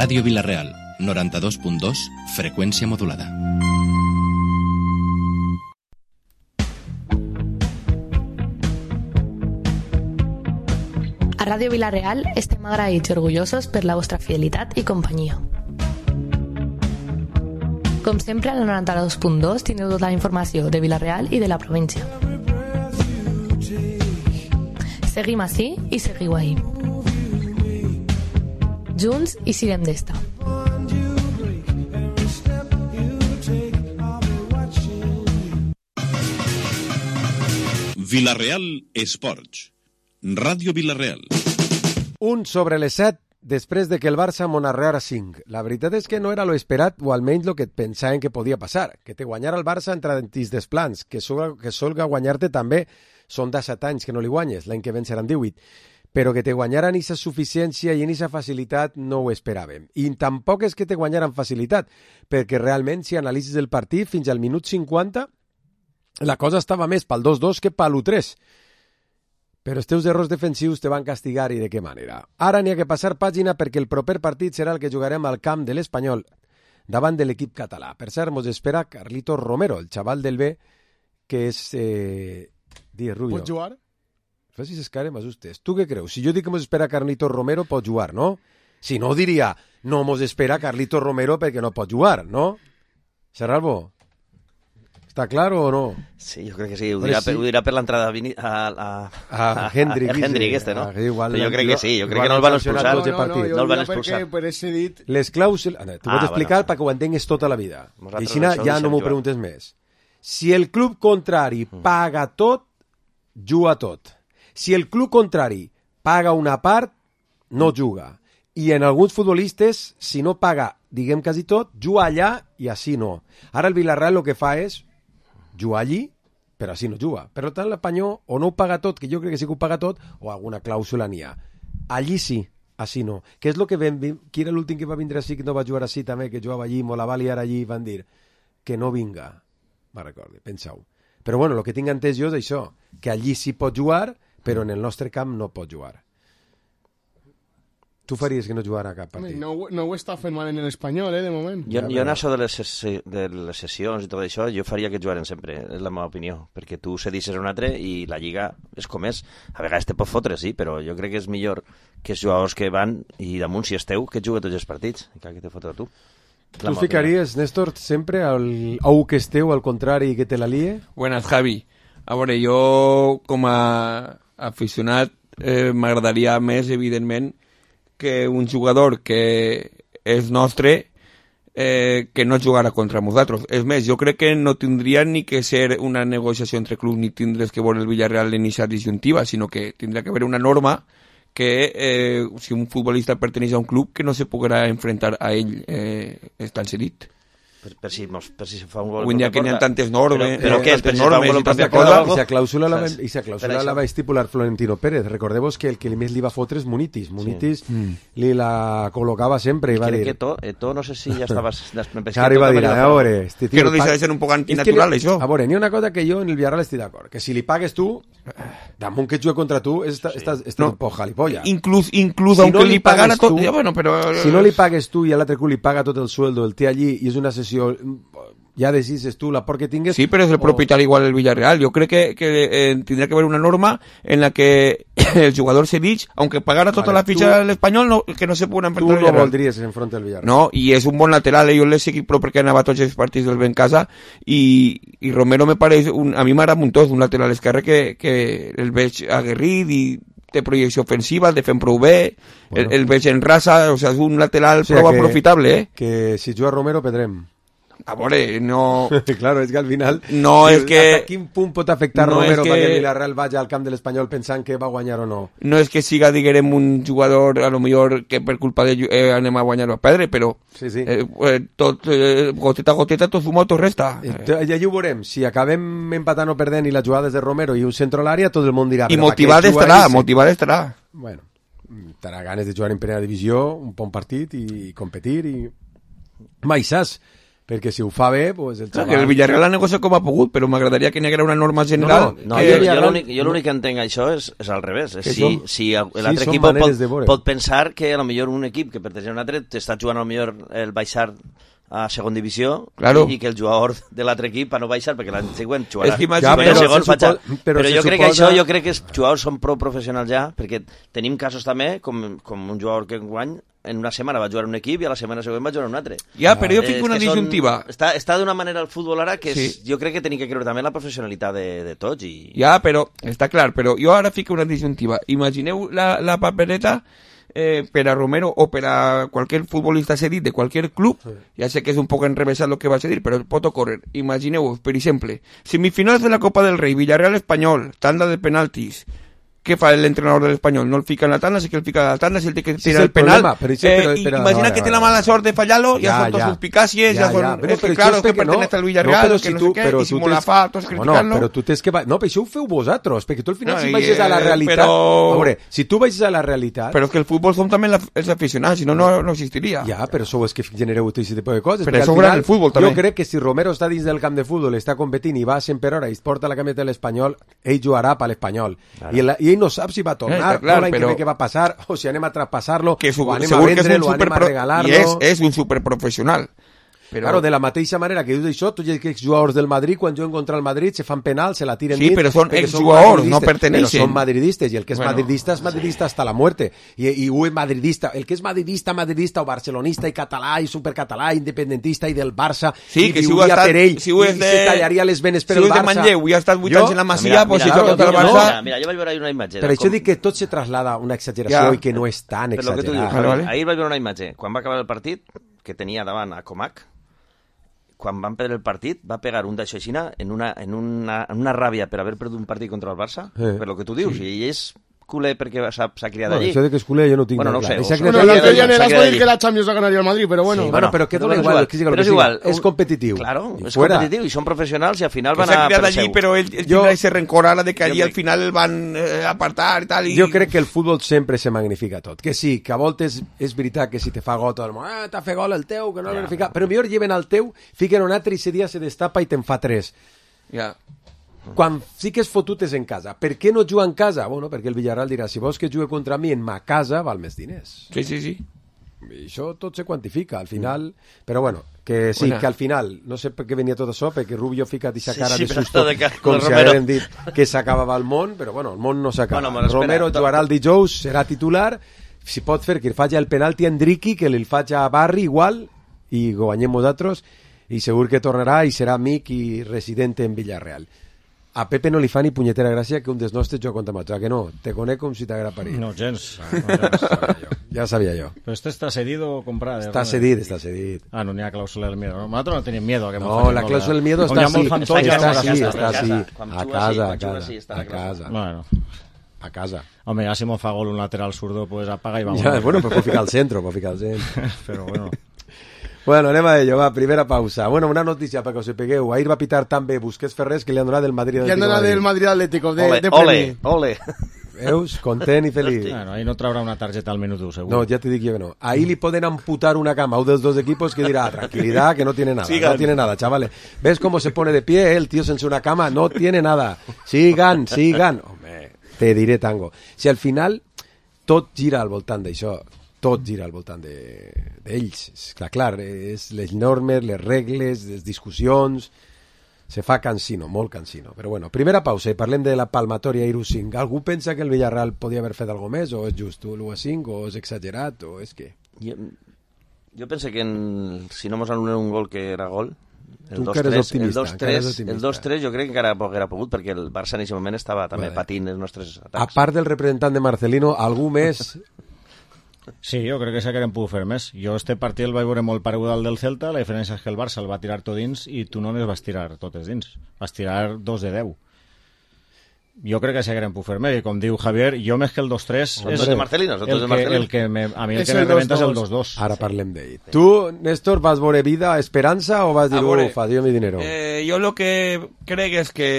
Ràdio Vila-real, 92.2, freqüència modulada. A Ràdio Vila-real estem agraïts i orgullosos per la vostra fidelitat i companyia. Com sempre, al 92.2 tindreu tota la informació de Vila-real i de la província. Seguim ací i seguiu ahí. Junts i siguem d'esta. Vila-real Esports. Ràdio Vila-real. 1 sobre les 7 després de que el Barça monarreara 5. La veritat és que no era lo esperat, o almenys lo que pensaven que podia passar. Que te guanyara el Barça entre dentís dels plans, que solga guanyar-te també. Són de 7 anys que no li guanyes, l'any que ven seran 18. Però que te guanyaran aquesta suficiència i en aquesta facilitat no ho esperàvem. I tampoc és que te guanyaran facilitat, perquè realment, si analitzes el partit, fins al minut 50, la cosa estava més pel 2-2 que pel 1-3. Però els teus errors defensius te van castigar i de què manera. Ara n'hi ha que passar pàgina perquè el proper partit serà el que jugarem al camp de l'Espanyol davant de l'equip català. Per cert, mos espera Carlitos Romero, el xaval del B, que és... Rubio. Pots jugar? Facis escare, m'assustes. Tu què creus? Si jo dic que mos espera Carlitos Romero, pot jugar, no? Si no, diria, no mos espera Carlitos Romero perquè no pot jugar, no? Serralbo? ¿Está claro o no? Sí, yo creo que sí. Ho dirà per l'entrada a Hendrik. A Hendrik este, no? Igual, jo crec que sí, jo crec que no el van expulsar. No el van expulsar. Per ese dit... Les clàusules... T'ho vaig explicar perquè ho entengues tota la vida. I així ja no m'ho preguntes més. Si el club contrari paga tot, juga tot. Si el club contrari paga una part, no juga. I en alguns futbolistes, si no paga, diguem quasi tot, juga allà i així no. Ara el Villarreal el que fa és jugar allí, però així no juga. Per tant, l'Espanyol o no ho paga tot, que jo crec que sí que ho paga tot, o alguna clàusula n'hi ha. Allí sí, així no. Que és el que vam... Qui era l'últim que va vindre així, que no va jugar així també, que jugava allí, la va liar allí, van dir que no vinga. Me recordo, penseu. Però bueno, el que tinc entès jo és això, que allí sí pot jugar, però en el nostre camp no pot jugar. Tu faries que no jugara a cap partit? No ho està fent mal en l'Espanyol, de moment. Jo en això de les sessions i tot això, jo faria que jugaren sempre, és la meva opinió, perquè tu cedisses un altre i la Lliga és com és. A vegades te pot fotre, sí, però jo crec que és millor que els jugadors que van i damunt si esteu, que juguen tots els partits, que te fotre tu. ¿Tú ficaries, Néstor, sempre au que esteu, al contrari, que te la lie? Buenas, Javi. A veure, jo com a aficionat m'agradaria més, evidentment, que un jugador que és nostre que no jugara contra nosaltres. És més, jo crec que no tindria ni que ser una negociació entre clubs ni tindres que veure el Villarreal en aquesta disjuntiva, sinó que tindria que haver una norma que si un futbolista perteneix a un club que no se podrà enfrentar a ell estant cedit. Per si se fa un gol. Avui en dia que n'hi ha tantes normes, però què és? Per si fa un gol i tanta cosa. I sa clàusula la va estipular Florentino Pérez. Recordeu que el que més li va fotre és Munitis. Munitis li la col·locava sempre i va dir... Crec que Eto'o no sé si ja estava... Ara va dir, a veure... Que no deixa de ser un poc antinatural, això. A veure, n'hi ha una cosa que jo en el Villarreal estic d'acord, que si li pagues tu, damunt que juga contra tu, estàs un poc jalipolla. Inclús aunque li pagara tot... Si no li pagues tu i l'altre club li paga tot el sueldo, el té allí i és una sessió, ja decides tu la por que tingues. Sí, però és el propietari igual el Villarreal. Jo crec que tindrà que haver una norma en la que el jugador cedix, aunque pagara tota la fitxa de l'Espanyol, que no se pugui enfrontar al Villarreal. Tu no voldries enfrontar al Villarreal. No, i és un bon lateral, jo l'he seguit però perquè anava a tots els partits del Bencasa i Romero me pareix, a mi m'agrada un tos, un lateral esquerre que el veig aguerrit i té projecció ofensiva, el defèn prou bé, bueno. el veig en raça, o sigui, és un lateral prou aprofitable, Que si juga Romero pedrem. A veure, no... Claro, és que al final... No, és que... ¿Hasta quin punt pot afectar Romero perquè el Villarreal vagi al camp de l'Espanyol pensant que va guanyar o no? No és que siga, diguem, un jugador, a lo millor, que per culpa de anem a guanyar o a perdre, però... Sí. Tot, goteta a goteta, tot suma, tot resta. Ja ho veurem. Si acabem empatant o perdent i les jugades de Romero i un centro a l'àrea, tot el món dirà... I motivat estarà. Bueno, tindrà ganes de jugar en primera divisió, un bon partit i competir i... Mai saps... perquè si ho fa bé, pues el Clar, xaval... que el Villarreal ha negociat com ha pogut, però m'agradaria que n'hi hagués una norma general. No, que... jo l'únic que entenc això és al revés. Si l'altre són equip maneres de veure. pot pensar que a lo millor un equip que pertany a un altre t'està jugant a lo millor el baixar a segon divisió, claro, i que el jugador de l'altre equip no baixar perquè l'any següent jugarà. És que imagina, però jo crec que això, jo crec que els jugadors són prou professionals ja, perquè tenim casos també com un jugador que enguany en una setmana va jugar un equip i a la setmana següent va jugar un altre. Ja, però jo fico una disjuntiva. Està d'una manera el futbol ara que sí. Jo crec que tenim que creure també la professionalitat de tots. Ja, però està clar, però jo ara fico una disjuntiva. Imagineu la papereta per a Romero o per a qualsevol futbolista cedit de qualsevol club, ja sé que és un poc enrevesat el que va cedir, però pot ocórrer. Imagineu, per exemple, semifinals de la Copa del Rei, Villarreal Espanyol, tanda de penaltis. Què fa l'entrenador de l'Espanyol? No el fica en la tanda, sí que el fica en la tanda, si el té que tirar el penal. Imagina que té la mala sort de fallar-lo, ja són dos suspicàcies, ja són... Bueno, és que, claro, que pertenece al Villarreal, que no sé què, i si m'ho la fa, tots criticant-lo... Però tu tens que... No, però això ho feu vosaltres, perquè tu al final si vagis a la realitat... A veure, si tu vagis a la realitat... Però és que el futbol som també els aficionats, si no, no existiria. Ja, però sou els que genereu aquest tipus de coses. Però això ho el futbol, també. Jo crec que si Romero està dins del camp de futbol, està competint i va a 100 per hora i es porta la cameta de l'Espanyol, ell jugarà per l'Espanyol. I ell no sap si va tornar, l'any que ve què va passar, o si anem a traspassar-lo, o anem a vendre'l, o anem a regalar-lo... I és un superprofessional. Però... Claro, de la mateixa manera que dius això, tots els exjugadors del Madrid, quan juguen contra el Madrid, se fan penal, se la tiren dins... Sí, però són exjugadors, no perteneixen. Però són madridistes, i el que és madridista hasta la muerte. I ho és madridista. El que és madridista o barcelonista i català i supercatalà, independentista i del Barça, sí, i viuria per ell, i se tallaria les venes per el Barça. Si ho és de Manlleu i ha estat 8 anys en la Masia, doncs si joga contra el Barça... Mira, jo vaig veure una imatge... Per això dic que tot se traslada una exageració i que no és tan exagerat. Ahir vaig veure una imatge. Quan va acabar el partit, que tenia davant a Comac, quan van perdre el partit, va pegar un d'això així en una ràbia per haver perdut un partit contra el Barça, per lo que tu dius, i ell és culer perquè s'ha criat allí. Això de que és culer jo no tinc clar. No sé. L'altre dia has dit que la Champions la ganaria el Madrid, però bueno. Sí, però que dona igual, però és igual. És competitiu. Claro, és competitiu i són professionals i al final van a... S'ha criat allí, però ell tindrà ese rencor ara de que allí al final el van apartar i tal. Jo crec que el futbol sempre se magnifica tot. Que sí, que a voltes és veritat que si te fa gol, t'ha fet gol el teu, que no l'ha ficat. Però millor lleven al teu, fiquen un altre i ese dia se destapa i te'n fa 3. Ja. Quan sí que és fotut és en casa. Per què no juga en casa? Bueno, perquè el Villarreal dirà, si vols que jugui contra mi en ma casa, val més diners. Sí. I això tot se quantifica, al final... Però bueno, que sí, que al final, no sé per què venia tot això, perquè Rubio fica aquesta cara de susto, com si hagueren dit que s'acabava el món, però bueno, el món no s'acaba. Romero jugarà el dijous, serà titular, si pot fer que faci el penalti a Endriqui, que li faci a Barri igual, i guanyem nosaltres, i segur que tornarà i serà amic i resident en Villarreal. A Pepe no li fa ni punyetera gràcia que un dels nostres joc contra Mató, que no? Te conec com si t'haguera parit. No, gens. Ja sabia jo. ¿Pero este está cedido o comprado? Está cedido. Ah, no, ni la cláusula del miedo. Nosotros no teníamos miedo. No, la cláusula del miedo está así. A casa. Bueno. A casa. Hombre, ya si me fa gol un lateral zurdo, pues apaga y vamos. Ja, bueno, pues puedo ficar al centro, Pero bueno... Bueno, anem a ello, va, primera pausa. Bueno, una notícia perquè us ho pegueu. Ahir va pitar també Busquets Ferrés, que li han donat del Madrid Atlético. Li han donat del Madrid Atlético, Ole. Veus? Content i feliç. Bueno, ahí no traurà una targeta al minuto, seguro. No, ya te digo yo que no. Ahí le pueden amputar una cama a uno de los dos equipos que dirá, tranquilidad, que no tiene nada. Sigan. No tiene nada, chavales. ¿Ves cómo se pone de pie el tío sense una cama? No tiene nada. Sigan. Hombre, te diré tango. Si al final tot gira al voltant d'això, tot gira al voltant d'ells. Clar, és les normes, les regles, les discussions... Se fa cansino, molt cansino. Però bueno, primera pausa i parlem de la palmatòria Iru 5. Algú pensa que el Villarreal podia haver fet alguna més, o és just l'1-5, o és exagerat, o és què? Jo penso que si no mos anulen un gol que era gol, el 2-3 jo crec que encara haguera pogut, perquè el Barça en aquest moment estava també patint els nostres atacs. A part del representant de Marcelino, algú més... Sí, jo crec que s'hagueren pogut fer més. Jo este partit el vaig veure molt paregut al del Celta, la diferència és que el Barça el va tirar tot dins i tu només vas tirar totes dins. Vas tirar 2 de 10. Jo crec que s'hagueren pogut fer més, i com diu Javier, jo més que el 2-3 és de Marcelino, el que a mi el que me rebenta és el 2-2. Ara parlem d'ell. Tu, Néstor, vas veure vida, esperança o vas dir, ufa, dio mi dinero? Jo el que crec és que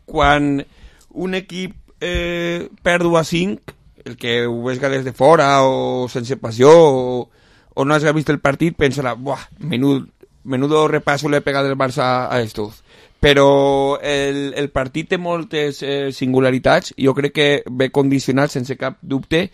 quan un equip perd 1-5, el que ho veig des de fora o sense passió o o no haya visto el partido pensará, buah, menudo repaso le he pegado el Barça a estos. Però el partit té moltes singularitats i jo crec que ve condicionat sense cap dubte,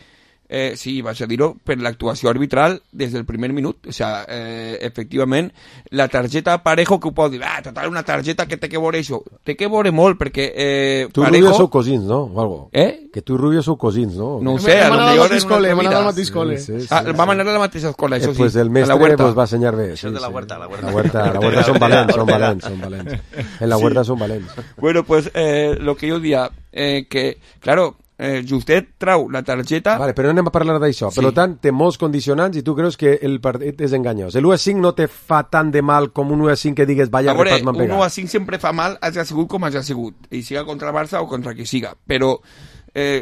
sí, vaig a dir-ho, per l'actuació arbitral des del primer minut. O sea, efectivament, la targeta Parejo, que ho pot dir, total, una targeta que té que veure això. Té que veure molt, perquè tu Parejo... i Rubio sou cosins, no? O algo. Que tu i Rubio sou cosins, no? No ho sé, Hem anat al mateix cole. Vam anar a la mateixa escola, això sí. Pues el mestre vos va ensenyar bé. Això és de la Huerta, La Huerta són valents. En la Huerta són valents. Bueno, pues lo que jo dia, que, claro, Justet trau la targeta... Vale, però no anem a parlar d'això. Sí. Per tant, té molts condicionants i tu creus que el partit és enganyós. El 1-5 no te fa tant de mal com un 1-5 que digues vaya repat m'han pegat. Un 1-5 sempre fa mal, hagi sigut com hagi sigut. I siga contra el Barça o contra qui siga. Però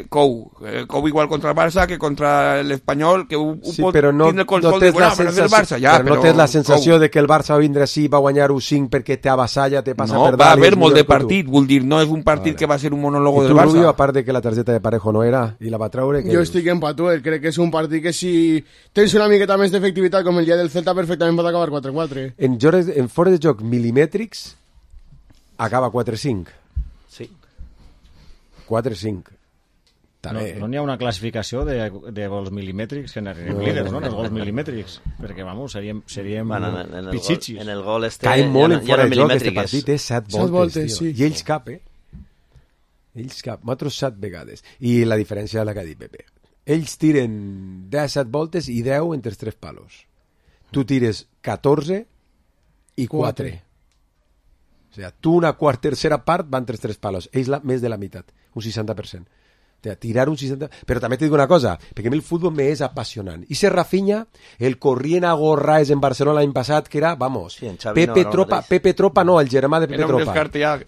Cou igual contra el Barça que contra l'Espanyol, que sí, però no, tindre el control de Barça, ja, però no tens la sensació de que el Barça va vindre així, va guanyar 1-5 perquè t'avassalla, te passa per dalt. No, va haver molt de partit, vull dir, no és un partit que va ser un monòlogo del Barça. I tu, Rubio, a part de que la targeta de Parejo no era i la va treure... Jo estic empatuat, crec que és un partit que si tens una miqueta més d'efectivitat com el dia del Celta perfectament pot acabar 4-4. En fora de joc milimètrics acaba 4-5. Sí. 4-5. No n'hi ha una classificació de gols milimètrics que n'arribem líders, no? Els gols milimètrics. Perquè, vamos, seríem pitxitxis. En el gol cae molt en fora de joc, este partit és 7 voltes, tio. I ells cap, nosaltres 7 vegades. I la diferència és la que ha dit Pepe. Ells tiren 17 voltes i 10 entre els 3 palos. Tu tires 14 i 4. O sigui, tu una tercera part va entre els 3 palos. Ells més de la meitat, un 60%. Tirar un 60%, però també t'he dit una cosa, perquè a mi el futbol m'és apassionant. I se Rafinha, el corrient a Gorraes en Barcelona l'any passat, que era, vamos, sí, Pepe Tropa no, el germà de Pepe Tropa.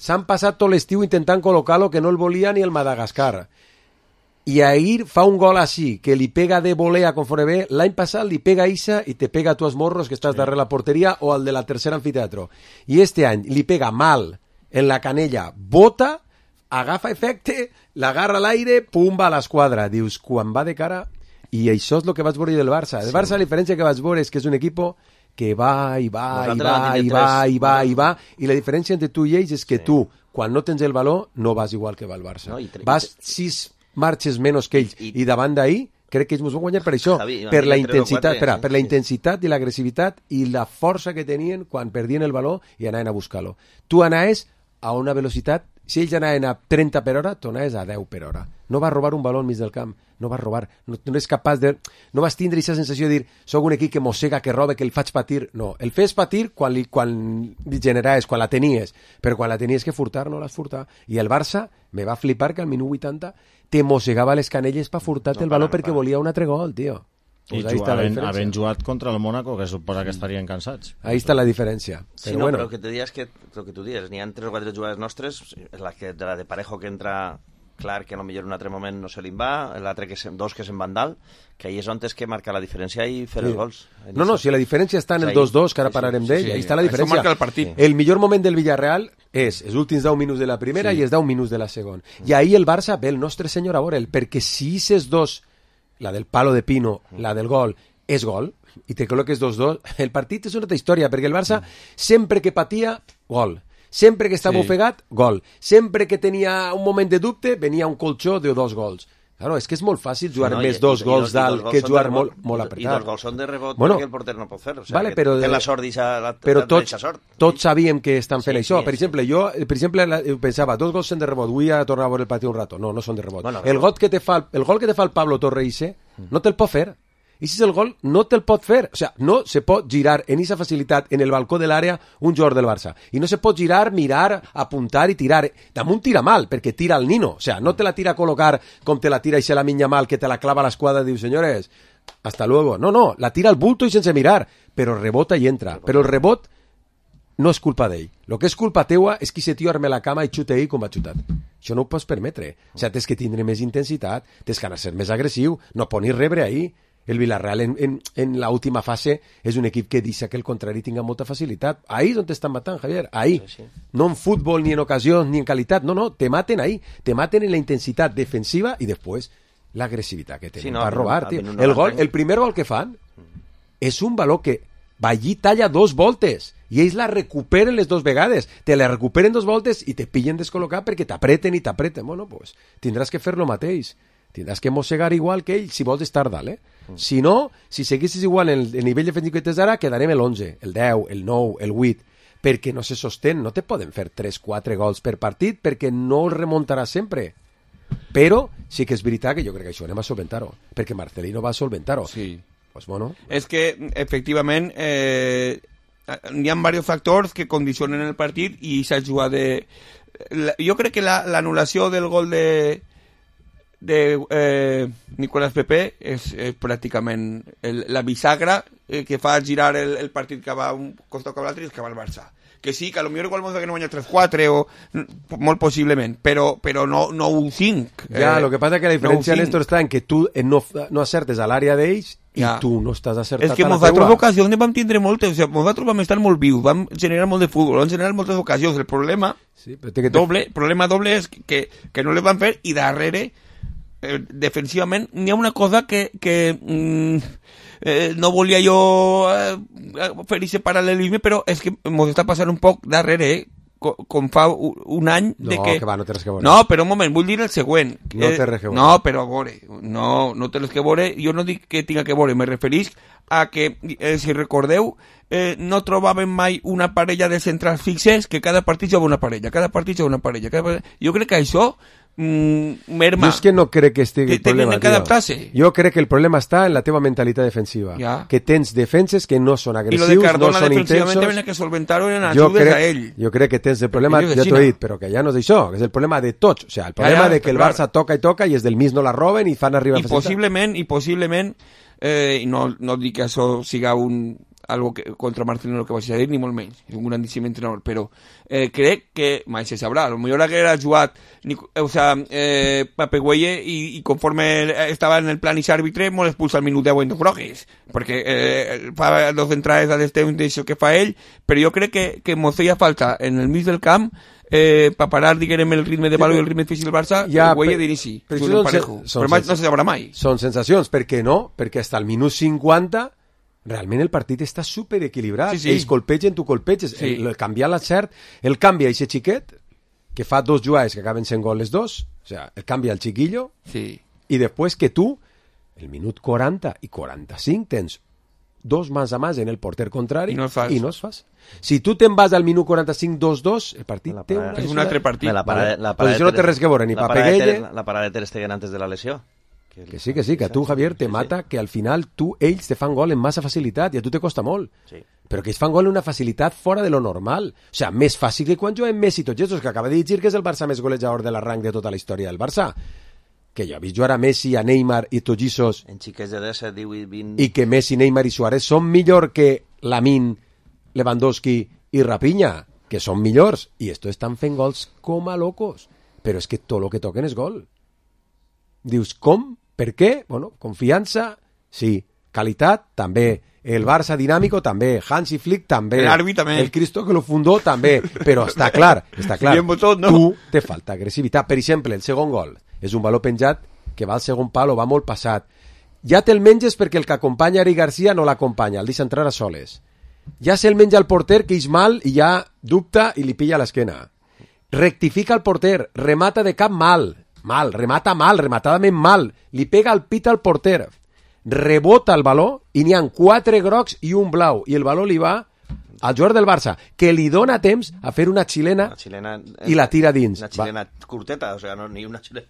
S'han passat tot l'estiu intentant col·locar-lo, que no el volia ni el Madagascar. I ahir fa un gol així, que li pega de volea conforme ve, l'any passat li pega a Isa i te pega a tu als morros que estàs darrere la porteria o al de la tercera anfiteatro. I este any li pega mal en la canella, bota, agafa efecte, l'agarra a l'aire, pum, va a l'esquadra. Dius, quan va de cara... I això és el que vaig veure del Barça. El Barça, la diferència que vaig veure és que és un equip que va, i la diferència entre tu i ells és que tu, quan no tens el valor, no vas igual que va el Barça. Vas 6 marxes menys que ells. I davant d'ahir, crec que ells ens van guanyar per això, per la intensitat i l'agressivitat i la força que tenien quan perdien el valor i anaven a buscar-lo. Tu anaves a una velocitat. Si ells anaven a 30 per hora, tu anaves a 10 per hora. No vas robar un baló enmig del camp, no vas robar, no és capaç de... No vas tindre aquesta sensació de dir, soc un equip que mossega, que roba, que el faig patir. No, el fes patir quan li generaves, quan la tenies, però quan la tenies que furtar, no l'has furtar. I el Barça me va flipar que al minut 80 te mossegava les canelles per furtar-te el baló perquè volia un altre gol, tio. I havent jugat contra el Mónaco, que suposa que estarien cansats. Ahí està la diferència. Sí, no, però el que te dies que el que tu dius, n'hi ha 3 o 4 jugades nostres, la de Parejo que entra clar que potser en un altre moment no se li va, l'altre que dos que se'n van dalt, que ahí és on és que marca la diferència i fer els gols. No, si la diferència està en el 2-2, que ara parlarem d'ell, ahí està la diferència. Això marca el partit. El millor moment del Villarreal és els últims 10 minuts de la primera i els 10 minuts de la segona. I ahir el Barça ve el nostre senyor a veure'l, perquè si aquests dos, la del palo de Pino, la del gol, és gol, i te col·loques 2-2, el partit és una altra història, perquè el Barça sempre que patia, gol. Sempre que estava ofegat, gol. Sempre que tenia un moment de dubte, venia un colxó de 2 gols. Claro, és que és molt fàcil jugar més 2 gols dalt que jugar molt apretat. I 2 gols són de rebot perquè el porter no pot fer. O sigui, vale, però, té la sort d'eixa però tots sabíem que estan fent això. Per exemple, jo pensava, 2 gols són de rebot, vull a tornar a veure el partit un rato. No són de rebot. El gol que te fa el Pablo Torres no te'l pot fer. I si és el gol, no te'l pot fer. O sigui, no se pot girar en aquesta facilitat en el balcó de l'àrea un jugador del Barça. I no se pot girar, mirar, apuntar i tirar. Damunt tira mal, perquè tira el Nino. O sigui, no te la tira a col·locar com te la tira i se la minya mal, que te la clava a l'esquadra i diu, senyores, hasta luego. No, la tira al bulto i sense mirar. Però rebota i entra. Però el rebot no és culpa d'ell. El que és culpa teua és que se tio arme la cama i xuta ell com va xutat. Això no ho pots permetre. O sigui, tens que tindre més intensitat, tens que anar a ser més agressiu, no ponis rebre ahir. El Villarreal en la última fase és un equip que deixa que el contrari tinga molta facilitat. Ahí és on t'estan matant, Javier. Ahí. Sí. No en futbol, ni en ocasions, ni en qualitat. No, te maten ahí. Te maten en la intensitat defensiva i després l'agressivitat que tenen per robar. El primer gol que fan és un valor que va allí, talla 2 voltes i ells la recuperen les 2 vegades, te la recuperen 2 voltes i te pillen descol·locat perquè t'apreten i t'apreten. Bueno, pues tindràs que fer lo mateix, tindràs que mossegar igual que ell si vols estar dalt, Si no, si seguissis igual en el nivell defensiu que tens ara, quedarem l'11, el 10, el 9, el 8, perquè no se sostén, no te poden fer 3-4 gols per partit perquè no el remuntaràs sempre. Però sí que és veritat que jo crec que això anem a solventar-ho, perquè Marcelino va solventar-ho. Sí. Pues bueno. És que, efectivament, hi ha diversos factors que condicionen el partit i s'ha jugat de... Jo crec que l'anul·lació del gol de Nicolás Pepe és pràcticament la bisagra que fa girar el partit que va un costat cap a l'altre i que va al Barça. Que sí, que a lo millor igual que no guanya 3-4 o molt possiblement, però no un 5. Ja, lo que passa que la diferència, no Néstor, està en que tu no acertes a l'àrea d'ells i tu no estàs acertat. És que nosaltres ocasions vam tindre moltes, o sigui, nosaltres vam estar molt vius, vam generar molt de futbol, vam generar moltes ocasions. El problema doble és que no les van fer i darrere defensivament n'hi ha una cosa que no volia jo fer aquest paral·lelisme, però és que ens està passant un poc darrere, com fa un any de que... No té res que veure. No, però un moment, vull dir el següent. No té res que veure. No, però a veure, no té res que veure, jo no dic que tinga que veure, me referís a que, si recordeu, no trobàvem mai una parella de centrals fixes, que cada partit jugava una parella, Jo crec que això merma. Jo és que no crec que estigui el problema, tenen que adaptar-se. Jo crec que el problema està en la teva mentalitat defensiva. Que tens defenses que no són agressius, no són intensos. Defensivament que solventar-ho en ajudes a ell. Jo crec que tens el problema, ja t'ho he dit, però que ja no és això, que és el problema de tots. O sigui, el problema de que el Barça toca i toca i els del mig no la roben i fan arribar a facilitat. I possiblement, no dic que això siga algo que, contra Marcelino que vaig a dir, ni molt menys, és un grandíssim entrenador, però crec que mai se sabrà, a lo millor haguera jugat Pape Güelle i conforme estava en el plan i s'àrbitre molt expulsa al minut 10 en dos grogues, perquè fa 2 entrades a l'estem d'això que fa ell, però jo crec que mos feia falta en el mig del camp per parar, diguem, el ritme de valor i el ritme físic del Barça, el Güelle d'inici, però no se sabrà mai. Són sensacions, per què no? Perquè fins al minut 50 realment el partit està superequilibrat. Sí. Ells colpegen, tu colpeges. Sí. El canviar l'encert, el canvia aquest xiquet, que fa 2 jugades que acaben sent gol les 2, o sea, el canvia el chiquillo, i després que tu, el minut 40 i 45, tens 2 mans a mans en el porter contrari i no es fas. Si tu te'n vas al minut 45 2-2, el partit és un altre partit. Pues això no té res que veure, ni Pape Güelle. La parada de Ter Stegen antes de la lesió. Que sí, que a tu, Javier, te mata que al final ells te fan gol en massa facilitat i a tu te costa molt. Sí. Però que ells fan gol en una facilitat fora de lo normal. O sigui, més fàcil que quan juguem Messi i tots aquests, que acaba de dir que és el Barça més golejador de l'arranc de tota la història del Barça. Que jo he vist jugar a Messi, a Neymar i tots aquests... En xiquets de 10, 18, 20... I que Messi, Neymar i Suárez són millor que Lamine, Lewandowski i Rafinha, que són millors. I estos estan fent gols com a locos. Però és que tot el que toquen és gol. Dius, com? Per què? Bueno, confiança, sí. Qualitat, també. El Barça dinàmico, també. Hansi Flick, també. L'Arbi, també. El Cristo que lo fundó, també. Però està clar. Tu te falta agressivitat. Per exemple, el segon gol és un baló penjat que va al segon palo, va molt passat. Ja te'l menges perquè el que acompanya Eric Garcia no l'acompanya, el deixa entrar a soles. Ja se'l menja el porter, que és mal, i ja dubta i li pilla l'esquena. Rectifica el porter, remata de cap rematadament mal, li pega el pit al porter, rebota el baló i n'hi ha 4 grocs i un blau, i el baló li va al jugador del Barça, que li dona temps a fer una xilena i la tira dins. Una xilena curteta, o sea, no, ni una xilena.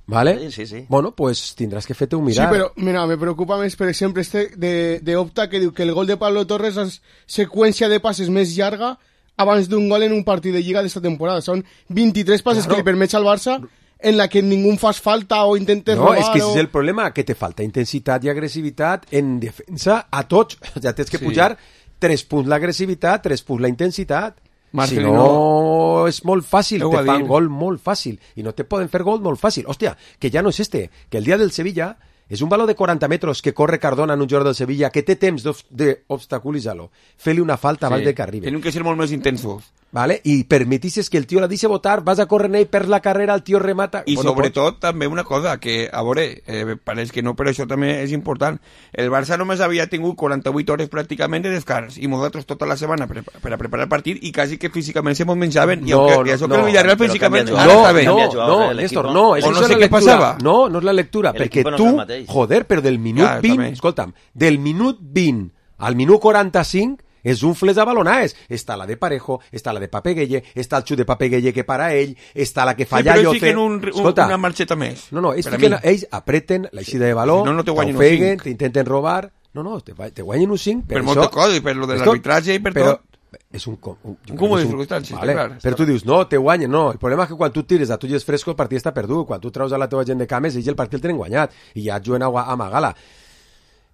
¿Vale? Sí. Bueno, pues tendrás que fer-te un mirar. Sí, però, mira, me preocupa més, per exemple, de Opta, que diu que el gol de Pablo Torres és seqüència de passes més llarga abans d'un gol en un partit de Lliga d'esta temporada. Són 23 passes que li permets al Barça en la que ningú fas falta o intentes robar. No, és que és el problema, que te falta intensitat i agressivitat en defensa a tots. O sea, tens que pujar 3 punts l'agressivitat, 3 punts la intensitat. Marcelino, si no, és molt fàcil, te fan gol molt fàcil. I no te poden fer gol molt fàcil. Hòstia, que ja no és que el dia del Sevilla És un valor de 40 metres que corre Cardona en un jugador del Sevilla que té temps d'obstaculitzar-lo. Fer-li una falta abans de que arribi. Tenen que ser molt més intensos. Vale? I permetisses que el tio la deixi votar, vas a córrer ell per la carrera, el tio remata... I sobretot també una cosa, que a veure, pareix que no, però això també és important. El Barça només havia tingut 48 hores pràcticament de descans i nosaltres tota la setmana per a preparar el partit i quasi que físicament se mos menjaven i això que el Villarreal físicament ara està bé. No, Néstor, no. O no sé què passava. No és la lectura, perquè tu, joder, però del minut 20, escolta'm, del minut 20 al minut 45 és un fles de balonades. Està la de Parejo, està la de Papegueye, està el xut de Papegueye que para ell, està la que falla Lloce. Sí, però ells fiquen una marxeta més. No, ells apreten l'eixida de valor, t'ofeguen, t'intenten robar... No, te guanyen un 5. Per molta cosa, i per lo de l'arbitratge i per tot. És un cúmulo de circumstàncies, vale. Clar. Però tu dius, no, te guanyen, no. El problema és que quan tu tires a tulles frescos el partit està perdut. Quan tu treus a la teva gent de cames, ells el partit el tenen guanyat. I ja et juguen a Magala.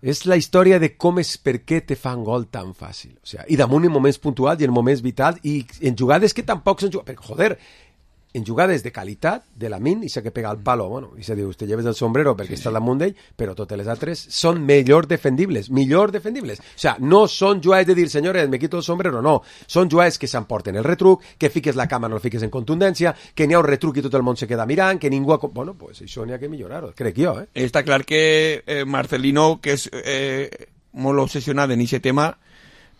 És la història de com és per què te fan gol tan fàcil. O sea, i damunt en moments puntuals i en moments vitals i en jugades que tampoc s'han jugat. Perquè, joder, en jugades de qualitat de la min i sé que pega el palo, bueno, i se diu, te lleves el sombrero perquè està damunt d'ell, però totes les altres són millor defendibles. O sea, no són jugades de dir, senyores, me quito el sombrero, no. Són jugades que s'emporten el retruc, que fiques la cama, no el fiques en contundència, que n'hi ha un retruc i tot el món se queda mirant, que ningú... Bueno, pues això n'hi ha que millorar-ho, crec jo, Està clar que Marcelino, que és molt obsessionat en aquest tema,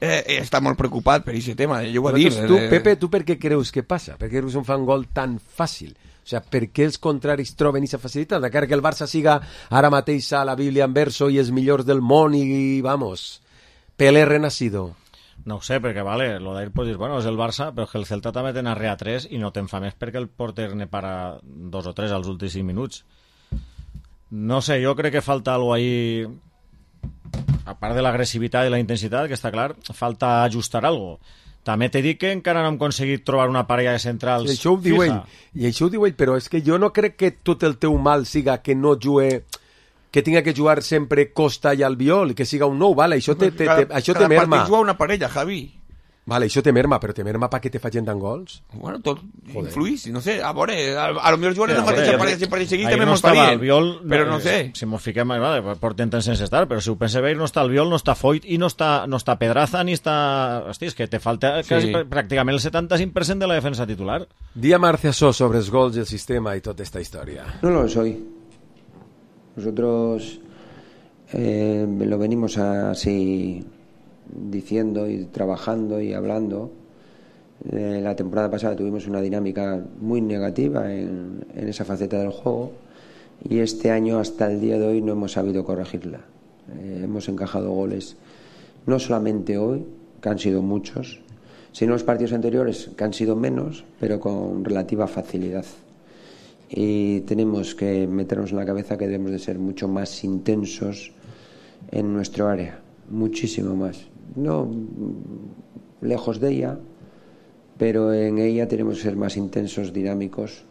està molt preocupat per aquest tema, jo ho he dit. Pepe, tu per què creus que passa? Per què creus que fan gol tan fàcil? O sea, per què els contraris troben aquesta facilitat? De cara que el Barça siga ara mateix a la Bíblia en verso i els millors del món i, vamos, Pelé renacido. No ho sé, perquè, vale, lo d'ahir pots dir, bueno, és el Barça, però que el Celta també ten arrea 3 i no te'n fa més perquè el porter ne para 2 o 3 als últims 5 minuts. No sé, jo crec que falta alguna ahí... a part de l'agressivitat i la intensitat, que està clar, falta ajustar algo. També t'he dit que encara no hem aconseguit trobar una parella de centrals I això ho diu ell, però és que jo no crec que tot el teu mal siga que no jugue, que tinga que jugar sempre Costa i Albiol, que siga un nou, vale, això te merma. Cada partit juga una parella, Javi. Vale, això te merma, però te merma perquè te facin tant gols? Bueno, tot influís, no sé, a veure, a lo millor jugarem la mateixa parella sempre seguit també no mos farien, però no sé. Si mos fiquem, vale, porten temps sense estar, però si ho penseu bé, no està Albiol, no està Foyt i no està Pedraza, ni està... Hosti, és que te falta quasi pràcticament el 75% de la defensa titular. Dia Marcia So sobre els gols i el sistema i tota esta història. No lo soy. Nosotros lo venimos así... diciendo y trabajando y hablando. La temporada pasada tuvimos una dinámica muy negativa en esa faceta del juego y este año hasta el día de hoy no hemos sabido corregirla. Hemos encajado goles no solamente hoy, que han sido muchos, sino los partidos anteriores, que han sido menos, pero con relativa facilidad. Y tenemos que meternos en la cabeza que debemos de ser mucho más intensos en nuestro área, muchísimo más. No lejos de ella, pero en ella tenemos que ser más intensos, dinámicos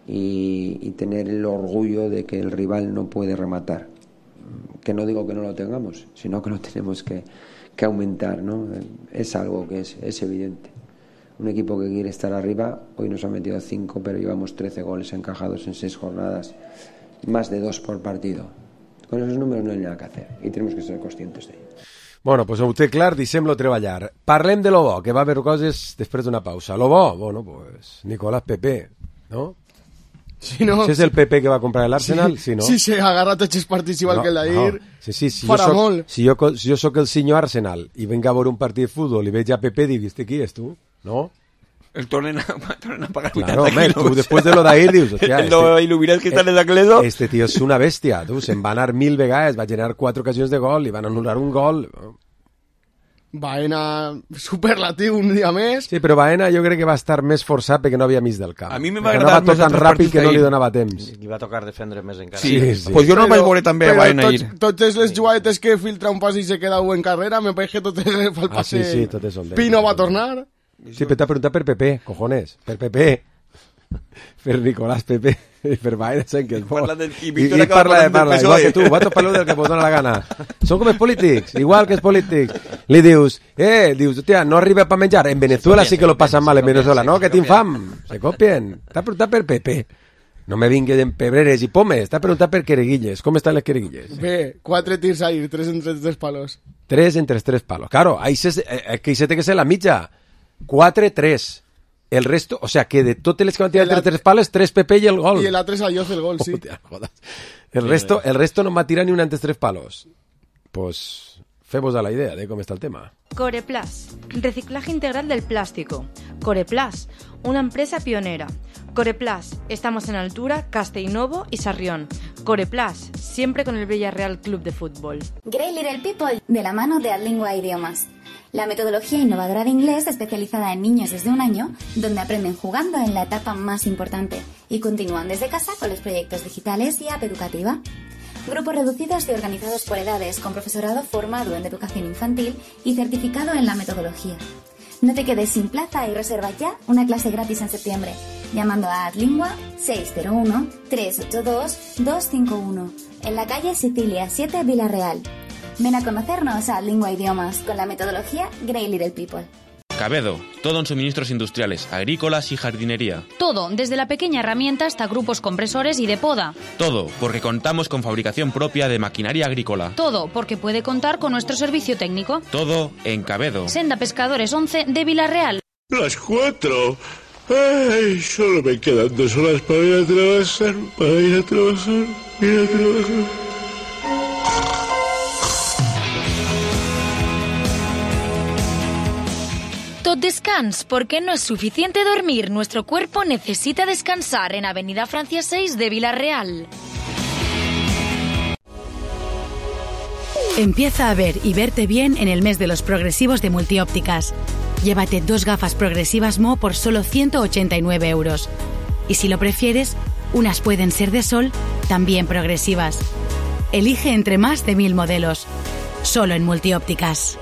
y tener el orgullo de que el rival no puede rematar. Que no digo que no lo tengamos, sino que lo tenemos que aumentar, ¿no? Es algo que es evidente. Un equipo que quiere estar arriba, hoy nos ha metido 5, pero llevamos 13 goles encajados en 6 jornadas, más de 2 por partido. Con esos números no hay nada que hacer y tenemos que ser conscientes de ello. Bueno, pues ho té clar, deixem-lo treballar. Parlem de lo bo, que va haver coses després d'una pausa. Lo bo, bueno, pues Nicolás Pepe, ¿no? Sí, no. Si és el Pepe que va comprar l'Arsenal, sí, no? Sí, se agarra tots els partits igual que el d'ahir. No. Sí, si jo soc el senyor Arsenal i venga a veure un partit de futbol i veig a Pepe, dic, este qui és tu? No? El tornen a pagar 80 claro, kilos. Tú después de lo de ahir dius, hòstia, lo il·luminat que està en l'Acledo. Este tío és una bèstia, tu, se'n va anar 1000 vegades, va generar 4 ocasions de gol i van anul·lar un gol. Baena superlatiu un dia més. Sí, però Baena jo crec que va estar més forçat perquè no havia mig del camp. A mi me va agradar més tan ràpid que no li donava temps. Li va tocar defendre més encara. Sí. Pues jo no vaig veure també a Baena ahir. Totes les jugadetes que filtra un pas i se queda en carrera, me pareix que totes el passe... Sí, totes són Pino va tornar. Sí, però t'ha preguntat per Pepe, cojones, per Pepe, per Nicolás Pepe, i per Baena, saben que és bo. I parla, igual que tu, vosaltres parleu del que vos dona la gana. Són com els polítics, igual que els polítics. Li dius, hòstia, no arriba per menjar. En Venezuela sí que lo pasan mal, en Venezuela, no? Que tinc fam. Se copien. T'ha preguntat per Pepe. No me vingue d'empebreres i pomes. T'ha preguntat per quereguilles. Com estan les quereguilles? Bé, 4 tirs ahí, 3 entre 3 palos. 3 entre 3 palos. Claro, ahí se té que ser la mitja. 4-3. El resto, o sea, que de totes les que van tirar entre 3 pales, 3 PP i el gol. I l'altre és a Lloz el gol, sí. Hòstia, jodas. El resto no m'ha tirat ni un entre 3 palos. Pues femos a la idea de cómo está el tema. Coreplas, reciclaje integral del plástico. Coreplas, una empresa pionera. Coreplas, estamos en Altura, Castellnovo y Sarrión. Coreplas, siempre con el Villarreal Club de Fútbol. Great Little People, de la mano de Adlingua Idiomas. La metodología innovadora de inglés especializada en niños desde 1 año, donde aprenden jugando en la etapa más importante y continúan desde casa con los proyectos digitales y app educativa. Grupos reducidos y organizados por edades, con profesorado formado en educación infantil y certificado en la metodología. No te quedes sin plaza y reserva ya una clase gratis en septiembre, llamando a Adlingua 601-382-251, en la calle Sicilia 7, Villarreal. Ven a conocernos a Adlingua Idiomas con la metodología Great Little People. Cabedo, todo en suministros industriales, agrícolas y jardinería. Todo, desde la pequeña herramienta hasta grupos compresores y de poda. Todo, porque contamos con fabricación propia de maquinaria agrícola. Todo, porque puede contar con nuestro servicio técnico. Todo en Cabedo. Senda Pescadores 11 de Villarreal. Las 4. Ay, solo me quedan 2 horas para ir a trabajar, Tot descans, porque no es suficiente dormir. Nuestro cuerpo necesita descansar en Avenida Francia 6 de Villarreal. Empieza a ver y verte bien en el mes de los progresivos de Multiópticas. Llévate 2 gafas progresivas Mo por solo 189 euros. Y si lo prefieres, unas pueden ser de sol, también progresivas. Elige entre más de 1000 modelos. Solo en Multiópticas.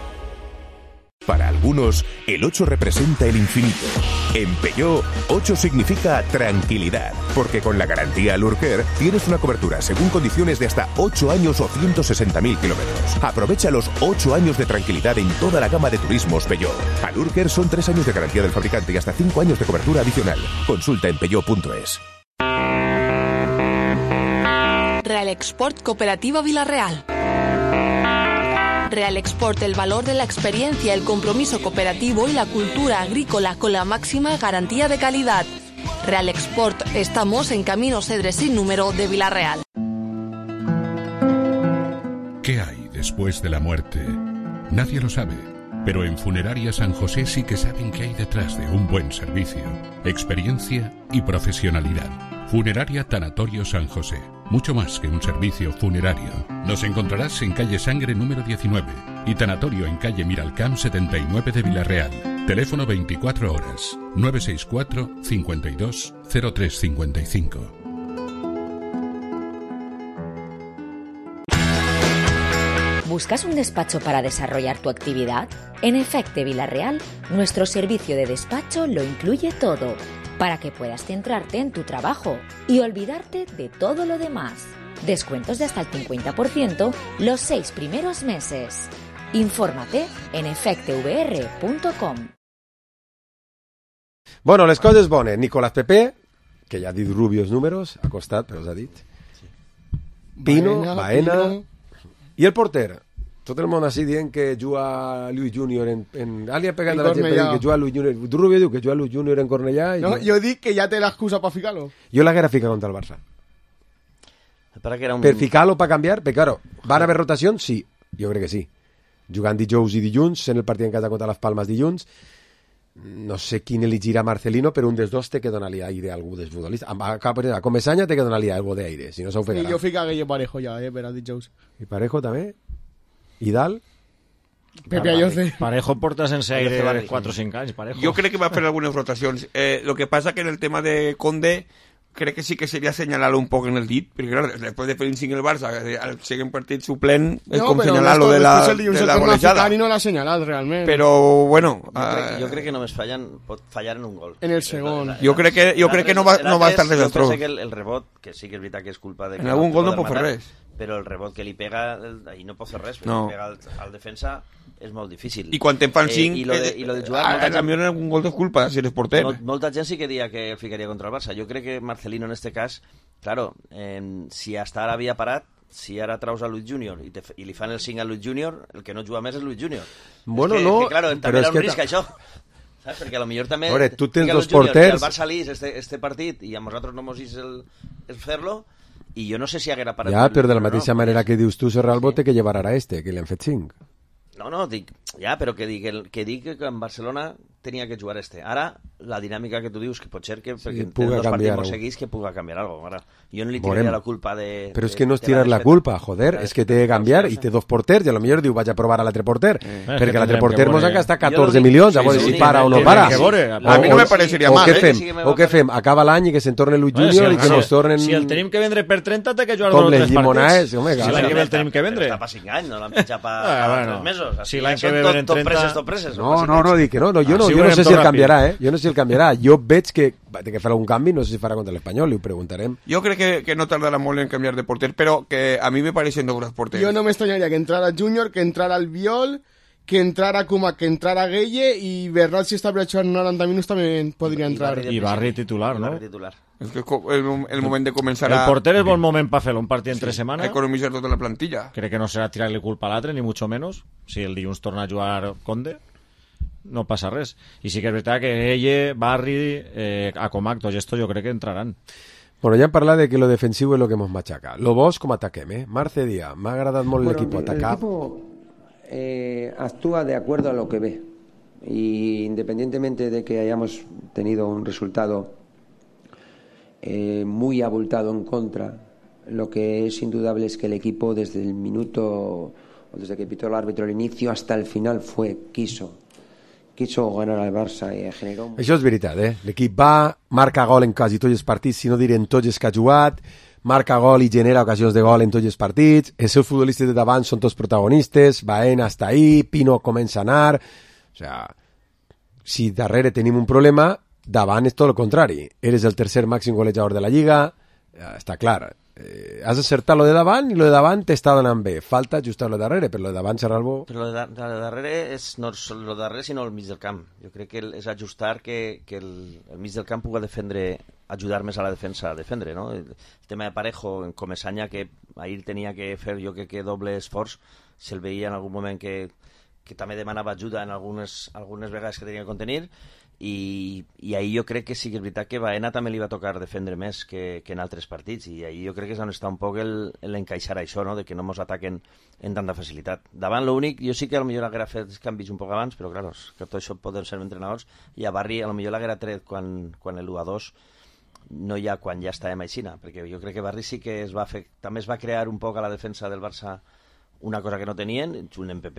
Para algunos, el 8 representa el infinito. En Peugeot, 8 significa tranquilidad, porque con la garantía Lurker tienes una cobertura según condiciones de hasta 8 años o 160.000 kilómetros. Aprovecha los 8 años de tranquilidad en toda la gama de turismos Peugeot. A Lurker son 3 años de garantía del fabricante y hasta 5 años de cobertura adicional. Consulta en peugeot.es. Real Export Cooperativa Villarreal. Real Export, el valor de la experiencia, el compromiso cooperativo y la cultura agrícola con la máxima garantía de calidad. Real Export, estamos en Camino Cedres sin número de Villarreal. ¿Qué hay después de la muerte? Nadie lo sabe, pero en Funeraria San José sí que saben qué hay detrás de un buen servicio, experiencia y profesionalidad. Funeraria Tanatorio San José. Mucho más que un servicio funerario. Nos encontrarás en calle Sangre número 19 y tanatorio en calle Miralcamp 79 de Villarreal. Teléfono 24 horas 964 52 0355. ¿Buscas un despacho para desarrollar tu actividad? En Efecte Villarreal, nuestro servicio de despacho lo incluye todo, para que puedas centrarte en tu trabajo y olvidarte de todo lo demás. Descuentos de hasta el 50% los 6 primeros meses. Infórmate en efectevr.com. Bueno, les coses bones. Nicolás Pepe, que ja ha dit rubios números, ha costat, però els ha dit. Pino, Baena. I el porter? Tot el món així dient que juga Luis Junior en... Ali ha pegat a la gent per dir que juga Luis Junior. Tu, Rubio, diu que juga Luis Junior en Cornellà. No, jo dic que ja té l'excusa per ficar-lo. Jo l'haguera ficat contra el Barça. Per ficar-lo, per canviar, perquè, claro, van haver rotacions? Sí, jo crec que sí. Jugant dijous i dilluns, en el partit en casa contra les Palmes dilluns, no sé quin elegirà Marcelino, però un dels dos té que donar-li aire a algú dels futbolistes. A Comesaña té que donar-li algo d'aire, si no s'ho fegarà. I jo fica Guille Parejo ja, per a dijous. I Parejo també? I dalt? Pepe Ayoce. Parejo porta sense aire 4 o 5 anys, Parejo. Jo crec que va fer algunes rotacions. Lo que pasa que en el tema de Conde crec que sí que seria assenyalar-lo un poc en el dit, perquè clar, després de fer un 5 el Barça, al següent partit suplent, és com assenyalar-lo de la golejada. No l'ha assenyalat, realment. Però, bueno... Jo crec que només pot fallar en un gol. En el segon. Jo crec que no va estar res Jo destrós. penso que el rebot, que sí que és veritat que és culpa de... En algun gol no pot fer res. però el rebot que li pega, ahí no pot fer res, perquè No. li pega al defensa és molt difícil. I quan te'n fan 5, I lo de jugar... també hi ha un gol de culpa, si eres porter. Molta gent sí que dia que el ficaria contra el Barça. Jo crec que Marcelino en este cas, claro, si hasta ara havia parat, si ara traus a Luis Junior i li fan el 5 a Luis Junior, el que no juga més és Luis Junior. Bueno, és que, no, que, claro, també però era és un que risc, això. Saps? Perquè potser també... Veure, tu tens fica dos Luis Junior, porters... I el Barça lis este partit i a nosaltres no mos és el fer-lo, i jo no sé si haguera parat... Ja, però de la mateixa manera que dius tu, Serralbo, té que llevar ara que li han fet 5. No, dic, ja, però que dic que en Barcelona tenia que jugar Ara, la dinàmica que tu dius, que pot ser que perquè té dos partits molt seguits que puga canviar alguna cosa. Ara, jo no li tiraria la culpa de... Però és que no és tirar la culpa, joder, és que té que canviar i té dos porters, i a lo millor diu vaig a provar a l'altre porter, perquè l'altre porter mos ha gastat 14 milions, a veure si para o no para. A mi no me pareixeria mal, O què fem? Acaba l'any i que se'n torne Luis Junior i que nos tornen... Si el tenim que vendre per 30, té que jugar com dos o 3 partits. Si l'any que ve el tenim que vendre. Està per 5 anys, no l'han pitjat per 3 mesos. Si l'any que ve venen 30... Tot preses. No, dic que no, jo no sé si el canviarà, Jo no sé si el canviarà. Jo veig que té que fer algun canvi, no sé si farà contra l'Espanyol, li ho preguntarem. Jo crec que no tardarà molt en canviar de porter, però que a mi me pareixen dos grans porters. Jo no m'estranyaria que entrara Junior, que entrara Albiol, que entrara Koeman, que entrara Gueye, i Bernat, si està jugant 90 minuts, també podria entrar. I Barri titular, no? És que el moment de començar El porter és bon moment per fer un partit entre setmana. Economitzar tota la plantilla. Crec que no serà tirar-li culpa a l'altre, ni mucho menos. Si el dilluns torna a jugar Conde, no passa res. I sí que és veritat que Gueye, Barri, Acomac, tots estos jo crec que entraran. Bueno, ja hem parlat de que lo defensiu és lo que mos machaca. Lo vos com ataquem, Marce Díaz, m'ha agradat molt l'equip atacar. El equipo actúa de acuerdo a lo que ve. Y independientemente de que hayamos tenido un resultado muy abultado en contra, lo que es indudable es que el equipo desde el minuto, o desde que pitó el árbitro al inicio hasta el final quiso ganar al Barça i generó... Això és veritat, L'equip va, marca gol en quasi tots els partits, si no diré en tots els que ha jugat, marca gol i genera ocasions de gol en tots els partits, els seus futbolistes de davant són tots protagonistes, Baena està ahí, Pino comença a anar... O sea, si darrere tenim un problema, davant és tot el contrari. Eres el tercer màxim golejador de la Lliga, està clar. Has acertat lo de davant i lo de davant t'està donant bé. Falta ajustar lo de darrere, però lo de davant, Serralbo... Però lo de darrere no és lo de darrere, sinó el mig del camp. Jo crec que és ajustar que el mig del camp pugui defendre, ajudar més a la defensa a defendre, no? El tema de Parejo, en Comesaña, que ahir tenia que fer, jo crec que doble esforç, se'l veia en algun moment que també demanava ajuda en algunes vegades que tenia que contenir, i ahir jo crec que sí que és veritat que Baena també li va tocar defendre més que en altres partits, i ahir jo crec que és on està un poc l'encaixar això, no? De que no ens ataquen en tanta facilitat. Davant l'únic, jo sí que potser haguera fet canvis un poc abans, però clar, que tot això poden ser entrenadors, i a Barri potser l'haguera tret quan el 1-2 no hi ha quan ja estàvem aixina, perquè jo crec que Barri sí que també es va crear un poc a la defensa del Barça una cosa que no tenien, un MPP,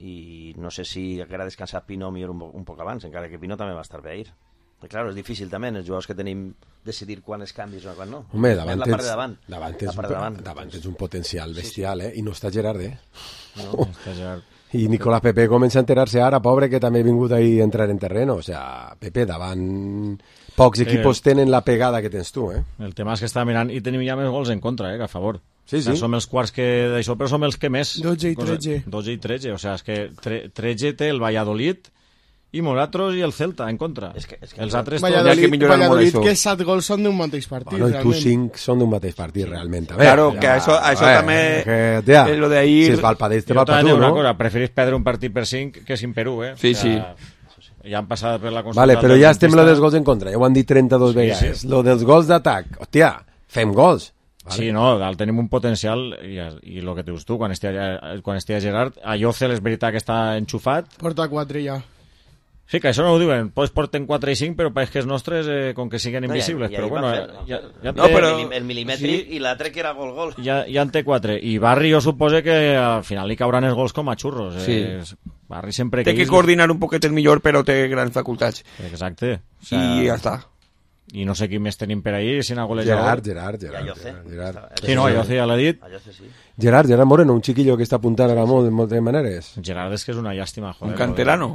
i no sé si haguera descansat Pino millor un poc abans, encara que Pino també va estar bé ahir. Però, clar, és difícil també, els jugadors que tenim, decidir quan és canvis o quan no. Home, davant és un potencial bestial, I no està Gerard, No, està Gerard. I Nicolás Pepe comença a enterar-se ara, pobre, que també ha vingut ahí a entrar en terreno. O sea, Pepe, davant pocs equipos tenen la pegada que tens tu, El tema és que està mirant i tenim ja més gols en contra, que a favor. Sí. Som els quarts d'això, però som els que més... 12 i 13. 12 i 13, o sigui, és que 13 té el Valladolid i nosaltres i el Celta en contra. Els altres... Valladolid, que 7 gols són d'un mateix partit, realment. I tu 5 són d'un mateix partit, realment. Claro, que això també... És lo d'ahir... Si es va al padell, te va al patú, no? Preferís perdre un partit per 5 que 5 per 1, Sí. Ja han passat per la consulta... Vale, però ja estem lo dels gols en contra, ja ho han dit 32 vegades. Lo dels gols d'atac, hòstia, fem gols. Vale. Sí, no, tenim un potencial i el que dius tu, quan estigui Gerard, a Llocel és veritat que està enxufat. Porta 4 ja. Sí, que això no ho diuen, pues porten 4 i 5, però pareix que els nostres, com que siguen invisibles. Però bueno, el milimètric i l'altre que era gol-gol. Ja en té 4. I Barri jo suposo que al final li cauran els gols com a xurros. Sí. Barri sempre... Té que coordinar un poquet millor, però té grans facultats. Exacte. I ja està. I no sé qui més tenim per ahir, si n'ha golejador. Gerard. Sí, no, Lloce ja l'ha dit. Gerard Moreno, un chiquillo que està apuntant ara molt de moltes maneres. Gerard és que és una llàstima, joder. Un canterano.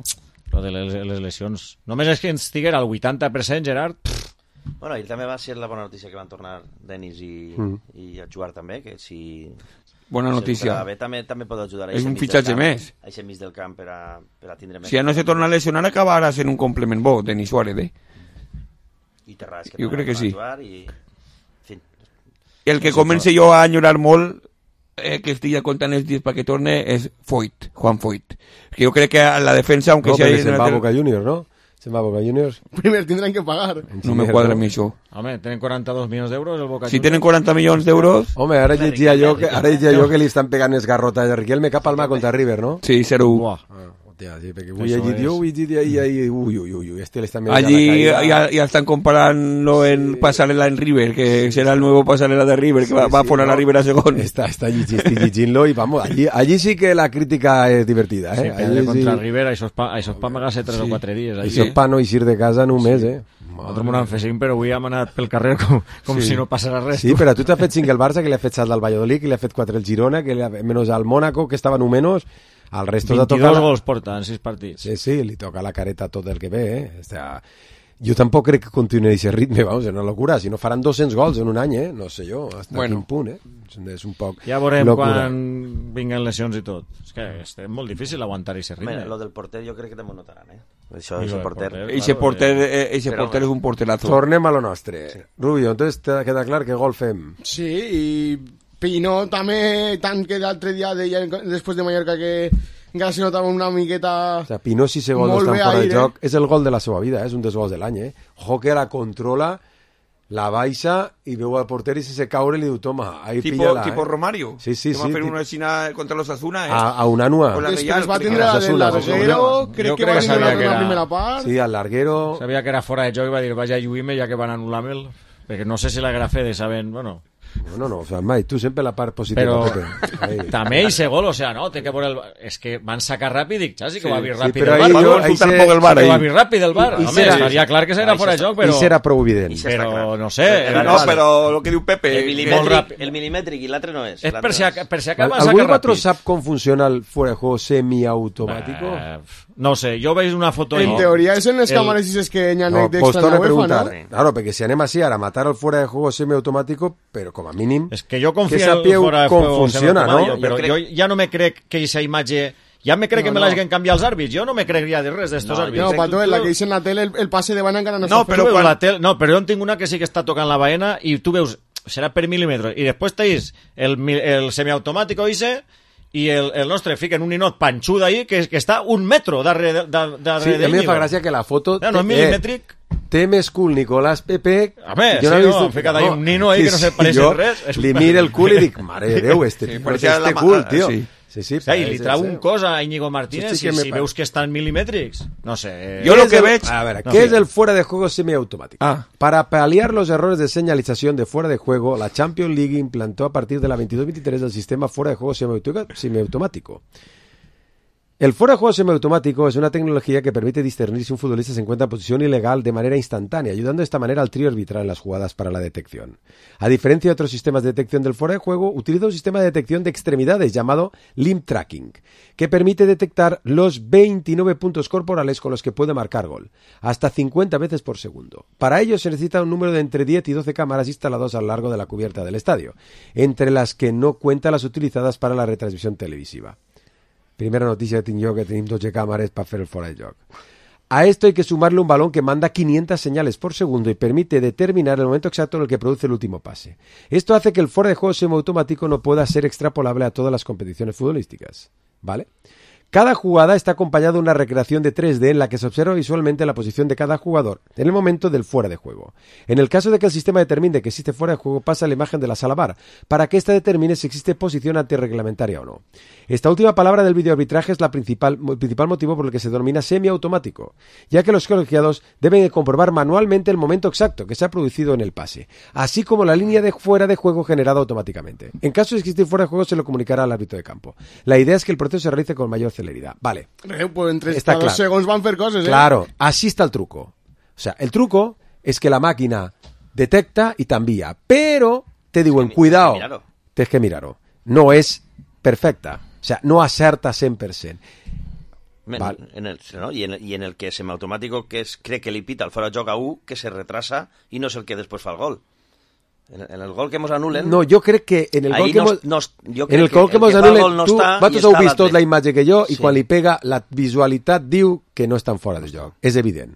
Lo de les lesions. Només és que ens estiguera al 80%, Gerard. Bueno, i també va ser la bona notícia que van tornar Denis i a jugar també, que si Bona notícia. També pot ajudar. És un fitxatge més. A aquest mig del camp per a tindre més. Si ja no se torna a lesionar, acabarà sent un complement bo, Denis Suárez, I Terrades, jo crec que sí. I... El que comença jo a enyorar molt, que estic ja comptant els dies perquè torne, és Juan Foyt. Que jo crec que a la defensa, aunque sea... No, se'n va a Boca Juniors, ¿no? Se'n va a Boca Juniors. Primer tindran que pagar. No me quadra a mi això. Home, tenen 42 milions d'euros el Boca Juniors. Si tenen 40 milions d'euros... Home, ara llegia jo que li estan pegant els garrotes a Riquelme cap al mà contra River, no? Sí, 0-1. Hòstia, sí, perquè ho he llegit jo, allí ja estan comparant-lo en Pasarela en River, que serà el nuevo Pasarela de River, que va a poner a River a segon. Està llegint-lo i vamos, allí sí que la crítica és divertida, eh? Sí, contra River, això és pa amagar-se 3 o 4 dies. Això és pa no eixir de casa en un mes, eh? Nosaltres m'ho hem fet 5, però avui hem anat pel carrer com si no passara res. Sí, però tu t'has fet 5 el Barça, que li ha fet 7 al Valladolid, que li ha fet 4 el Girona, que menos al Mónaco, que estava números. Al resto 22 gols porta en 6 partits. Sí, li toca la careta tot el que ve, eh? O sea, jo tampoc crec que continuï aquest ritme, vamos, és una locura. Si no faran 200 gols en un any, no sé jo, hasta quin punt, és un poc ja veurem locura. Quan vinguen lesions i tot. És que és molt difícil aguantar aquest ritme. Lo del porter jo crec que també ho notaran, eh? Eixe porter és un porterazo. Tornem a lo nostre. Sí. Rubio, entonces queda clar que gol fem. Sí, i Pino també, tant que l'altre dia deia després de Mallorca que encara se notava una miqueta... O sea, Pino, si ese gol no està fora de joc, és el gol de la seva vida, és un dels gols de l'any, eh? Ojo que la controla, la baixa i veu al porter i se caure i li diu, toma, ahí pilla-la. Tipo Romario. Sí. Que va fer una xina contra l'Osasuna, eh? A un anua. Després va tindre el larguero, crec que va tindre la primera part. Sí, al larguero... Sabia que era fora de joc i va dir, vaya lluïme ja que van anul·lar-me'l, perquè no sé si la grafé de saben, bueno... No, o sea, Mai, tu sempre la part positiva. Però també ese gol, o sea, no, té que veure és que van sacar ràpid, dic, sí que va vir ràpid el bar. Va vir ràpid el bar. Home, estaria clar que serà fora de joc, però... I serà prou evident. Però, no sé... No, però el que diu Pepe... El milimètric i l'altre no és. És per si acaba sacar ràpid. ¿Algú sap com funciona el fuera de juego semiautomático? No sé, jo veig una foto... En teoria, són les càmeres i que hi ha d'extra en la UEFA, no? Claro, perquè si anem així ara a matar el fuera de juego semiautomático, però com a mínim... És que jo confio en el fora de juego funciona, no? Però jo ja no me crec que aquesta imatge... Ja me crec que me l'hagin canviat els àrbits. Jo no me crec ja de res d'estos àrbits. No, Pato, la que dice en la tele, el passe de bana encara no està fet. No, però jo en tinc una que sí que està tocant la baena i tu veus, serà per mil·límetres, i després tens el semiautomàtic i el nostre fiquen un ninot panxuda ahí que està 1 metro darrere sí, a mi em fa gràcia que la foto no és mil·límetric. Té més cul Nicolás Pepe. A veure, sí, ficat ahí un nino ahí que no se pareix en res. Li miro el cul i dic, mare de Déu, este cul, tio. Sí, i li trau un cos a Íñigo Martínez si veus que estan milimètrics. No sé. Yo lo que veig... A ver, ¿qué es el fuera de juego semiautomático? Para paliar los errores de señalización de fuera de juego, la Champions League implantó a partir de la 22-23 el sistema fuera de juego semiautomático. El fuera de juego semiautomático es una tecnología que permite discernir si un futbolista se encuentra en posición ilegal de manera instantánea, ayudando de esta manera al trío arbitral en las jugadas para la detección. A diferencia de otros sistemas de detección del fuera de juego, utiliza un sistema de detección de extremidades llamado limb tracking, que permite detectar los 29 puntos corporales con los que puede marcar gol, hasta 50 veces por segundo. Para ello se necesita un número de entre 10 y 12 cámaras instalados a lo largo de la cubierta del estadio, entre las que no cuentan las utilizadas para la retransmisión televisiva. Primera noticia que tinc jo, que tenim 12 càmeres per fer el fora de joc. A esto hay que sumarle un balón que manda 500 señales por segundo y permite determinar el momento exacto en el que produce el último pase. Esto hace que el fuera de juego semiautomático no pueda ser extrapolable a todas las competiciones futbolísticas. ¿Vale? Cada jugada está acompañada de una recreación de 3D en la que se observa visualmente la posición de cada jugador en el momento del fuera de juego. En el caso de que el sistema determine que existe fuera de juego, pasa la imagen de la sala VAR para que ésta determine si existe posición antirreglamentaria o no. Esta última palabra del videoarbitraje es el principal motivo por el que se denomina semiautomático, ya que los colegiados deben comprobar manualmente el momento exacto que se ha producido en el pase, así como la línea de fuera de juego generada automáticamente. En caso de existir fuera de juego, se lo comunicará al árbitro de campo. La idea es que el proceso se realice con mayor celeridad. Vale. Pues entre está claro. 2 segons van fer coses, Claro, así está el truco. O sea, el truco es que la máquina detecta y te envía, pero te digo, cuidado, tienes que mirarlo. No es perfecta. O sea, no acerta 100%. Vale. I en el que semiautomàtic que crec que li pita el fora de joc a 1 que se retrasa i no és el que després fa el gol. En el gol que mos anulen... No, jo crec que en el gol que mos anulen, vosaltres heu vist tot la imatge que jo, i quan li pega, la visualitat diu que no estan fora de joc. És evident.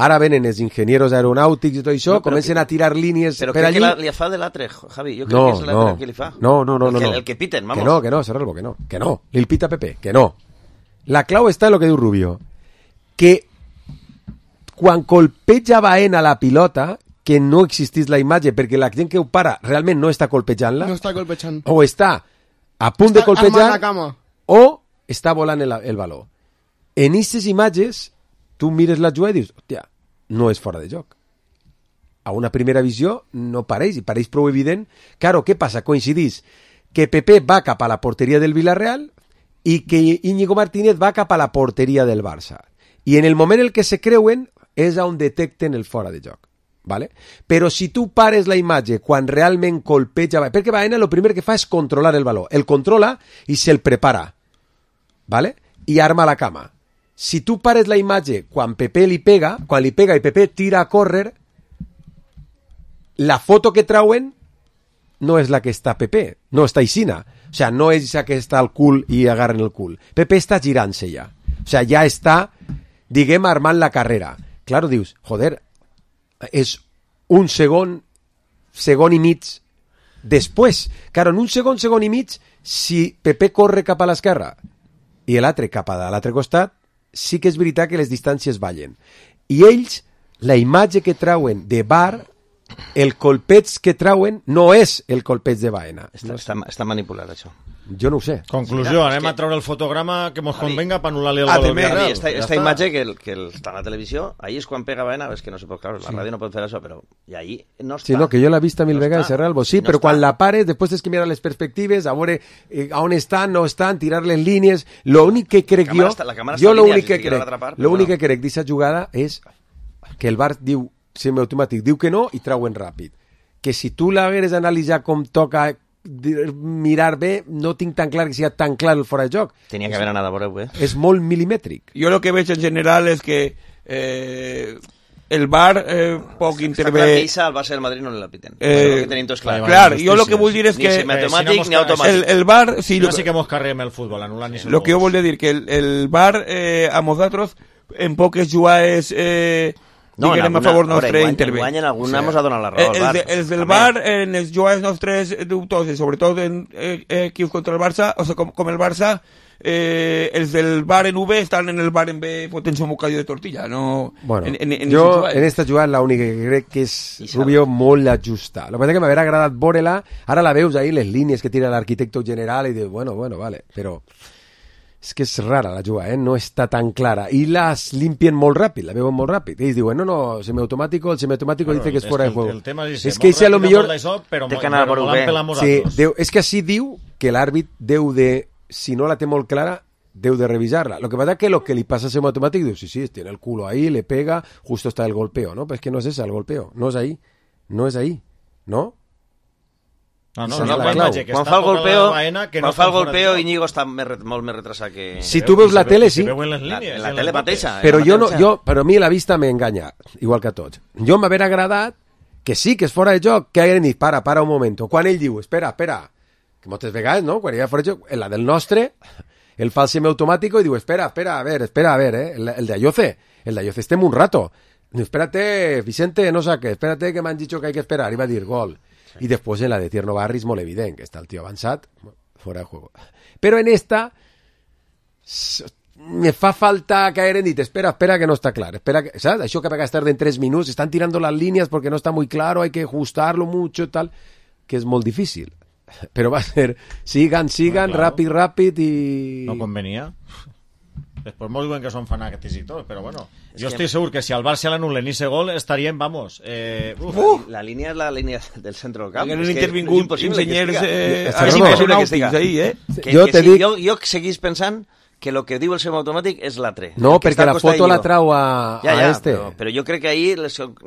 Ara venen els enginyers aeronàutics i tot això, comencen a tirar línies per allí... Però crec que li fa de l'altre, Javi. Jo crec que és l'altre que li fa. No. El que piten, vamos. Que no, Serralbo, que no. Li pita Pepe, que no. La clau està en el que diu Rubio. Que quan colpeja Baena la pilota, que no existís la imatge, perquè la gent que ho para realment no està colpejant-la. No està colpejant. O està a punt de colpejar, o està volant el baló. En aquestes imatges, tu mires la jugada i dius, hòstia, no és fora de joc. A una primera visió no pareix, i pareix prou evident. Claro, què passa? Coincidís que Pepe va cap a la porteria del Villarreal i que Íñigo Martínez va cap a la porteria del Barça. I en el moment en què se creuen és on detecten el fora de joc. ¿Vale? Però si tu pares la imatge quan realment colpeja... Perquè Baena el primer que fa és controlar el baló. El controla i se'l prepara. ¿Vale? I arma la cama. Si tu pares la imatge quan Pepe li pega, quan li pega i Pepe tira a córrer, la foto que trauen no és la que està Pepe, no està Isina. O sea, no és esa que està al cul i agarren el cul. Pepe està girant-se ja. O sea, ja està, diguem, armant la carrera. Claro, dius, joder, és un segon i mig després. Claro, en un segon i mig, si Pepe corre cap a l'esquerra i l'altre cap a l'altre costat, sí que és veritat que les distàncies ballen. I ells, la imatge que trauen de VAR, el colpeig que trauen no és el colpeig de Baena. Està manipulat, això. Jo no ho sé. Conclusió, anem a treure el fotograma que mos convenga per anul·lar-li el gol. Esta imatge que està a la televisió, ahí és quan pega Baena, és que no se pot, claro, la ràdio no pot fer això, però i ahí no està. Sí, no, que jo l'he vist mil vegades, Serralbo, sí, però quan la pares, després tens que mirar les perspectives, a veure on estan, no estan, tirar-le en línies. L'únic que crec jo, l'únic que crec d'aquesta jugada és que el VAR diu, semiautomàtic, diu que no i trauen ràpid. Que si tu l'hagueres d'analitzar com toca mirar bé, no tinc tan clar que sigui tan clar el fora de joc. Tenia que haver anat a veure, És molt milimètric. Jo el que veig en general és que el VAR poc intervé... Està clar que Isa al Barça del Madrid no la piten. Que tenim tots clar. Clar, jo el que vull dir és que... Ni matemàtic ni automàtic. El VAR... Sí que mos carrem el futbol, anul·lant ni el que jo volia dir que el VAR a nosaltres en poques jugades... No, diguem a favor nostre intervé. En alguna hemos donat la raó al VAR. Els del VAR, en les jugades nostres dubtoses, sobretot en equips contra el Barça, o sigui, com el Barça, els del VAR en V estan en el VAR en B fotent-se un bocadillo de tortilla. No, bueno, jo en esta jugada l'única que crec que és Rubio molt ajusta. El que passa que m'haver agradat veure-la, ara la veus ahí, les línies que tira l'arquitecte general i dius, bueno, vale, però... És que és rara la jugada, no està tan clara. I las limpien molt ràpid, la veuen molt ràpid. I ells diuen, no, semiautomàtico, el semiautomàtico dice que és fora de juego. El tema és que a lo millor... Però és que així diu que l'àrbit deu de, si no la té molt clara, deu de revisar-la. Lo que pasa es que lo que li passa a semiautomàtic diu, sí, tiene el culo ahí, le pega, justo está el golpeo, ¿no? Pero es que no es ese el golpeo, no es ahí, ¿no? Quan fa el golpeo Íñigo està molt més retrasat que... Si tu veus la tele, sí. La tele mateixa. Però a mi la vista m'enganya, igual que a tots. Jo m'haver agradat que sí, que és fora de joc, que hagueren dit, para un moment. Quan ell diu, espera, que moltes vegades, no? Quan hi ha fora de joc, la del nostre, el fa el semiautomàtico i diu, espera, a ver, el de Ayoce estem un rato. Espérate, Vicente, no saques, espérate que m'han dicho que hay que esperar. I va dir gol. Y después en la de Tierno Barri és molt evident que està el tio avançat, fora de juego. Però en esta me fa falta que hagueren dit, espera que no està clar, ¿sabes? Això que a vegades tarden 3 minuts, están tirando las líneas porque no está muy claro, hay que ajustarlo mucho, tal, que és molt difícil. Però va a ser, sigan, bueno, claro. ràpid i... No convenia. Després molt diuen que són fanàtics i tot, però bueno, jo estic segur que si al Barça l'anulen i ese gol estaríem, vamos... La línia és la línia del centre del camp. Que no han intervingut enginyers aeronàutics ahí, Jo seguís pensant que el que diu el semiautomàtic és l'altre. No, perquè la foto la trau a este. Però jo crec que ahir,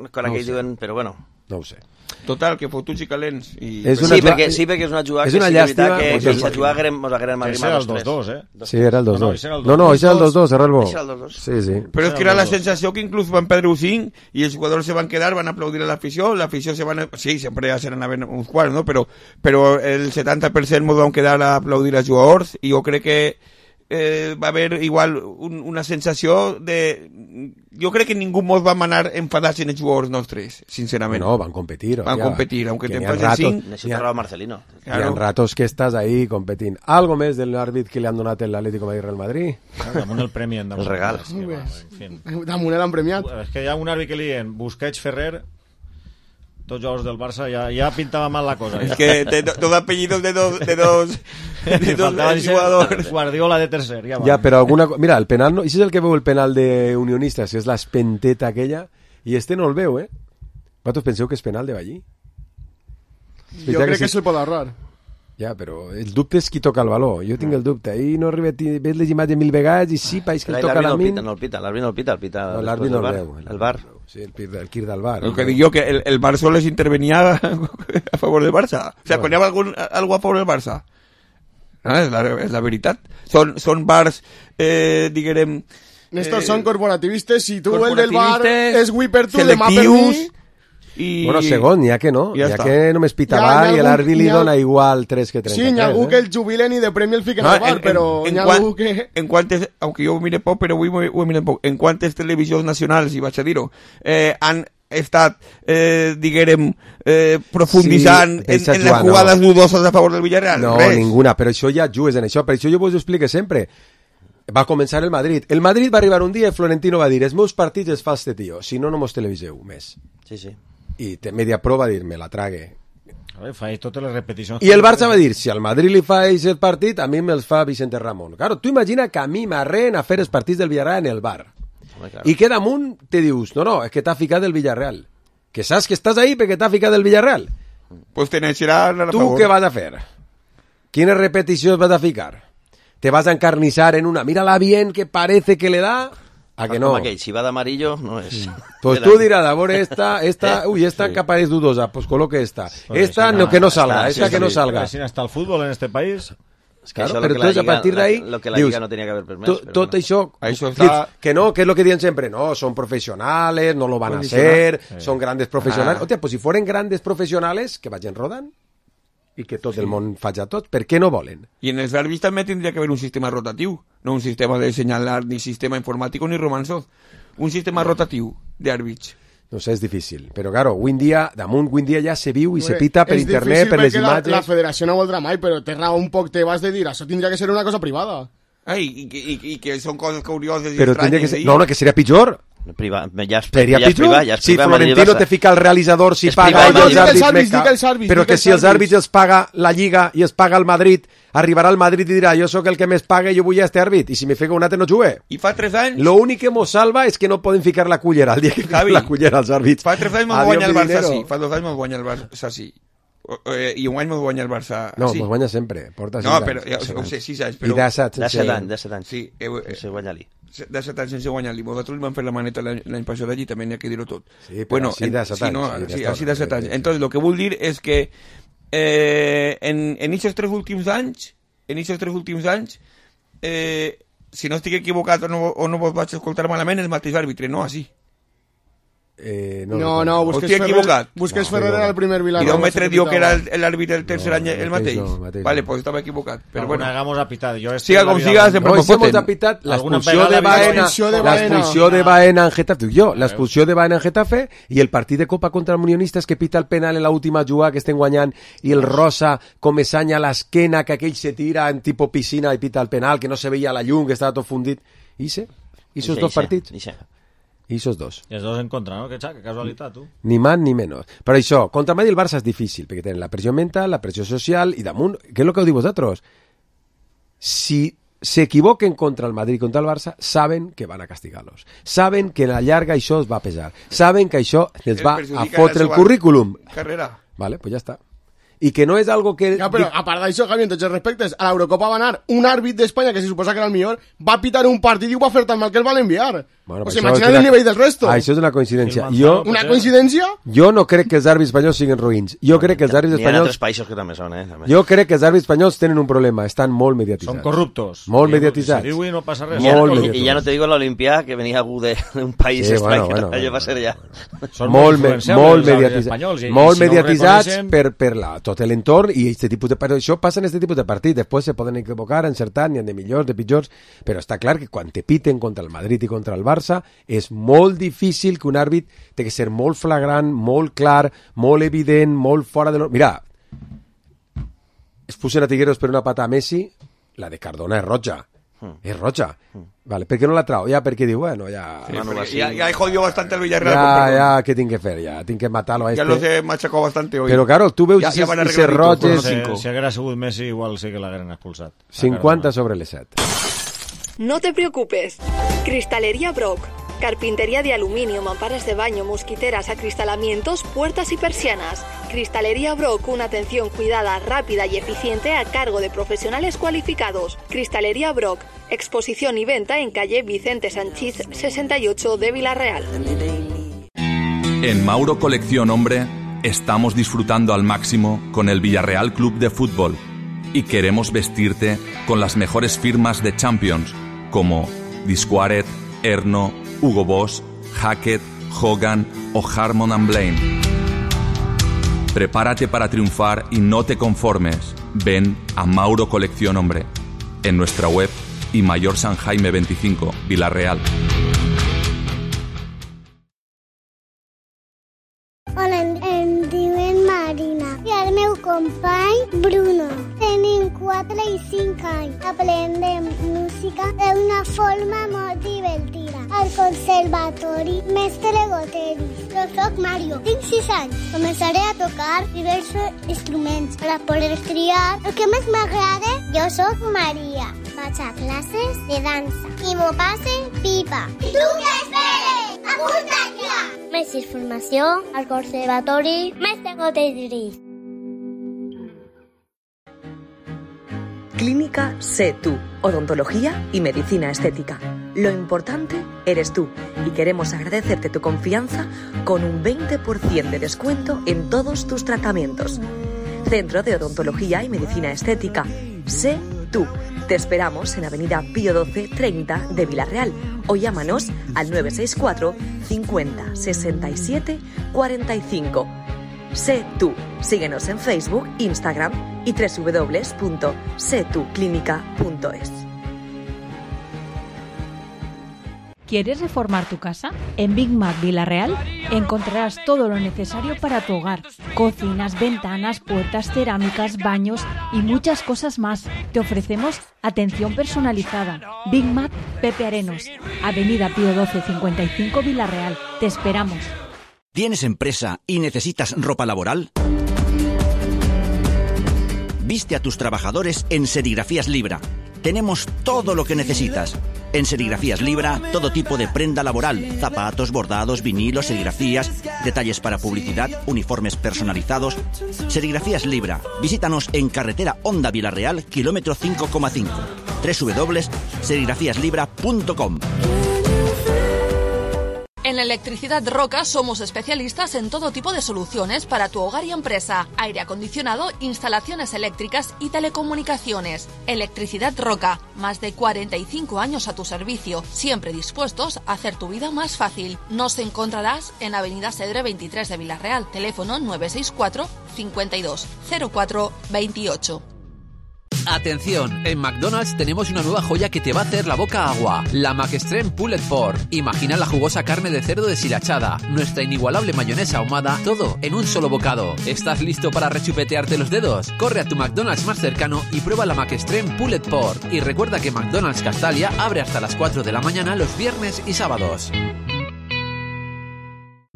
quan aquells diuen... Però bueno... No ho sé. Total, que fotuts i calents. Perquè és una jugada és una llàstima que si la jugada mos haguérem arribat als 2-2, Sí, era el 2-2. No, ese era el 2-2, era el bo. Sí. Pero es que era la sensación que incluso van perdre 5 y los jugadores se van a quedar, van a aplaudir a la afición se van a... Sí, siempre ya serán a ver uns quants, ¿no? Pero el 70% nos van a quedar a aplaudir a jugadors i jo crec que va haver igual una sensació de... Jo crec que ningú mos va manar enfadats en els jugadors nostres, sincerament. No, van competir. Van competir, aunque te pasen 5... Necesita Marcelino. Hi ha ratos que estàs ahí competint. Algo més del àrbit que li han donat l'Atlético de Madrid-Real Madrid? Damunt el premi. El regal. Damunt l'han premiat. És que hi ha un àrbit que li diuen Busquets, Ferrer... Tots jugadors del Barça ja pintava mal la cosa. Es que dos apellidos de dos jugadors. Guardiola de tercer. Ja, però alguna... Mira, el penal... Això és el que veu el penal de Unionistes, que és l'espenteta aquella, i este no el veu, eh? Vosaltres penseu que és penal de Ballí? Jo crec que se'l pot ahorrar. Ja, però el dubte és qui toca el valor. Jo tinc el dubte. Ahir no arriba... Ves les imatges 1000 vegades i sí, país que el toca la min... L'àrbit no el pita. L'àrbit no el veu. El bar. Sí, el Kir del bar. El que dic jo, que el Barça solo les intervenia a favor del Barça. O sea, quan hi ha algo a favor del Barça. És la veritat. Són bars, diguem... Estos són corporativistes. Si tu el del bar és avui per tu, demà per mi... Bueno, segon, n'hi ha que no. N'hi ha que només pita bar i l'àrbit li dona igual 3 que 33. Sí, n'hi ha algú que el jubilen i de premi el fiquen al bar, però n'hi ha algú que... En quantes, aunque jo ho mire poc, però avui ho mire poc, en quantes televisions nacionals, i vaig a dir-ho, han estat, diguem, profunditzant en les jugades dudoses a favor del Villarreal? No, ninguna, però això ja jugues en això, per això jo vos ho explique sempre. Va començar el Madrid. El Madrid va arribar un dia i Florentino va dir: els meus partits els fa este tio, si no, no mos televiseu més. Sí. I Media Pro va dir, me la trague. Faig totes les repeticions. I el Barça va dir, si al Madrid li fa aquest partit, a mi me'ls fa Vicente Ramon. Claro, tu imagina que a mi m'arren a fer els partits del Villarreal en el bar. I que damunt te dius, no, és que t'ha ficat del Villarreal. Que saps que estàs ahí perquè t'ha ficat del Villarreal. Pues te n'eixerà a tu favor. Què vas a fer? Quines repeticions vas a ficar? Te vas a encarnizar en una, mírala bien que parece que le da... ¿A que no? Si va de amarillo, no es... Pues tú dirás, a ver, esta capa es dudosa, pues coloque esta. Esta no, que no salga, esta que no salga. Si hasta el fútbol en este país... Claro, pero entonces a partir de ahí... Lo que la Liga no tenía que haber permès. Tot això... Que no, que es lo que dicen siempre. No, son profesionales, no lo van a hacer, son grandes profesionales. Hòstia, pues si fueren grandes profesionales, que vagin rodant. I que tot el món faci tot. Per què no volen? I en els àrbits també tindria que haver un sistema rotatiu, no un sistema de senyalar, ni sistema informàtic ni romançó. Un sistema rotatiu d'àrbits. No sé, és difícil. Però, claro, avui dia ja se viu i se pita per internet, per les imatges... La federació no voldrà mai, però té raó un poc, te vas de dir, això tindria que ser una cosa privada. I que són coses curioses i però estranyes. No, que seria pitjor. Seria pitjor. Si Florentino te fica el realitzador, si paga els àrbits, però que si els àrbits els paga la Lliga i els paga el Madrid, arribarà al Madrid i dirà, jo sóc el que més paga i jo vull a este àrbit, i si me fica un altre no jugue. I fa 3 anys... Lo únic que mos salva és que no poden ficar la cullera, el dia que fica la cullera als àrbits. Fa 3 anys mos guanya el Barça, sí. Fa 2 anys mos guanya el Barça, sí. I un any mos guanya el Barça. No, mos guanya sempre. Porta 6 anys. No, però ho sé, 6 anys. I de 7 anys. Sí, sense guanyar-li. De 7 anys sense guanyar-li. Nosaltres li vam fer la maneta l'any passat allí, també n'hi ha que dir-ho tot. Sí, però així de 7 anys. Sí, així de 7 anys. Entonces, lo que vull dir és que en aquests 3 últims anys, si no estic equivocat o no vos vaig escoltar malament, el mateix àrbitre, no així. No, Busquets Ferrer era el primer Villarreal. Y Don Metre dio que era el árbitro del tercer año el mateix. Vale, pues estaba equivocado. Pero bueno, hagamos a pitar. Siga com siga, sempre no hemos apitat l'expulsió de Baena en Getafe. L'expulsió de Baena en Getafe i el partit de Copa contra el Unionistes que pita el penal en l'última jugada que estem guanyant i el Rosa com es sanya l'esquena que aquell se tira en tipo piscina i pita el penal que no se veia la llum, que estava tot fundit. I esos dos partits. I esos dos. I els dos en contra, no? Que casualitat, tu. Ni más ni menos. Però això, contra el Madrid i el Barça és difícil, perquè tenen la pressió mental, la pressió social, i damunt, què és el que heu dit vosaltres? Si s'equivoquen contra el Madrid i contra el Barça, saben que van a castigar-los. Saben que a la llarga això es va a pesar. Saben que això els va a fotre el currículum. Carrera. Vale, pues ja està. I que no és algo que... Ja, però a part d'això, Javi, en tots els respectes, a l'Eurocopa va anar un àrbit d'Espanya, que se suposa que era el millor, va pitar un partit i ho va fer tan mal que el van enviar. Bueno, pues imagina't el nivell del resto. Això és una coincidència. Una coincidència? Jo no crec que els àrbits espanyols siguin roïns. Jo crec que els àrbits N'hi ha espanyols... altres països que també són, també. Jo crec que els àrbits espanyols tenen un problema. Estan molt mediatitzats. Són corruptos. Molt mediatitzats. Se diu i no passa res. I ja no te digo la Olimpia, que venia algú d'un país estrany, que allò va ser ja... Són molt mediatitzats. Molt mediatitzats per tot l'entorn i aquest tipus de... Això passa en aquest tipus de partit. Després se poden equivocar, encertar, n'hi ha de millors, de pitjors, però està clar que quan te piten contra el Madrid i contra el Barça és molt difícil que un àrbit té que ser molt flagrant, molt clar, molt evident, molt fora de... Mira, es pusen a Tigueros per una pata a Messi, la de Cardona és roja. És roja. Vale, per què no la trau? Ja, perquè diu, bueno, ja... Sí, ya he jodido bastante el Villarreal. Ya, ¿qué tengo que hacer? Ya, tengo que matarlo a este. Ya los he machacado bastante hoy. Pero claro, tú veus ya van a ser roges... Si haguera sigut Messi, igual sí que l'hagueren expulsat. 50 sobre les 7. No te preocupes. Cristalería Brock. Carpintería de aluminio, mamparas de baño, mosquiteras, acristalamientos, puertas y persianas. Cristalería Brock, una atención cuidada, rápida y eficiente a cargo de profesionales cualificados. Cristalería Brock, exposición y venta en calle Vicente Sanchís 68 de Villarreal. En Mauro Colección Hombre estamos disfrutando al máximo con el Villarreal Club de Fútbol y queremos vestirte con las mejores firmas de Champions como Disquaret, Erno, Hugo Boss, Hackett, Hogan o Harmon & Blaine. Prepárate para triunfar y no te conformes. Ven a Mauro Colección Hombre en nuestra web y Mayor San Jaime 25, Villarreal. Hola, em diuen Marina i el meu company Bruno. Tenim 4 i 5 anys. Aprendem música d'una forma molt divertida. Al conservatori Mestre Goteris. Jo soc Mario, tinc 6 anys. Començaré a tocar diversos instruments per a poder triar el que més m'agrada. Jo soc Maria. Vaig a classes de dansa i m'ho passe pipa. I tu què esperes? Apunta't ja! Més informació al conservatori Mestre Goteris. Clínica Sé Tú, odontología y medicina estética. Lo importante eres tú y queremos agradecerte tu confianza con un 20% de descuento en todos tus tratamientos. Centro de Odontología y Medicina Estética. Sé Tú. Te esperamos en Avenida Pío 12 30 de Villarreal o llámanos al 964 50 67 45. Sé Tú. Síguenos en Facebook, Instagram y www.setuclínica.es. ¿Quieres reformar tu casa? En Big Mac Villarreal encontrarás todo lo necesario para tu hogar. Cocinas, ventanas, puertas, cerámicas, baños y muchas cosas más. Te ofrecemos atención personalizada. Big Mac Pepe Arenos, Avenida Pío 12 55 Villarreal. Te esperamos. ¿Tienes empresa y necesitas ropa laboral? Viste a tus trabajadores en Serigrafías Libra. Tenemos todo lo que necesitas. En Serigrafías Libra, todo tipo de prenda laboral, zapatos, bordados, vinilos, serigrafías, detalles para publicidad, uniformes personalizados. Serigrafías Libra. Visítanos en carretera Honda Villarreal, kilómetro 5,5. www.serigrafíaslibra.com. En Electricidad Roca somos especialistas en todo tipo de soluciones para tu hogar y empresa. Aire acondicionado, instalaciones eléctricas y telecomunicaciones. Electricidad Roca, más de 45 años a tu servicio, siempre dispuestos a hacer tu vida más fácil. Nos encontrarás en Avenida Cedre 23 de Villarreal, teléfono 964 52 04 28. Atención, en McDonald's tenemos una nueva joya que te va a hacer la boca agua, la McExtreme Pulled Pork. Imagina la jugosa carne de cerdo deshilachada, nuestra inigualable mayonesa ahumada, todo en un solo bocado. ¿Estás listo para rechupetearte los dedos? Corre a tu McDonald's más cercano y prueba la McExtreme Pulled Pork. Y recuerda que McDonald's Castalia abre hasta las 4 de la mañana los viernes y sábados.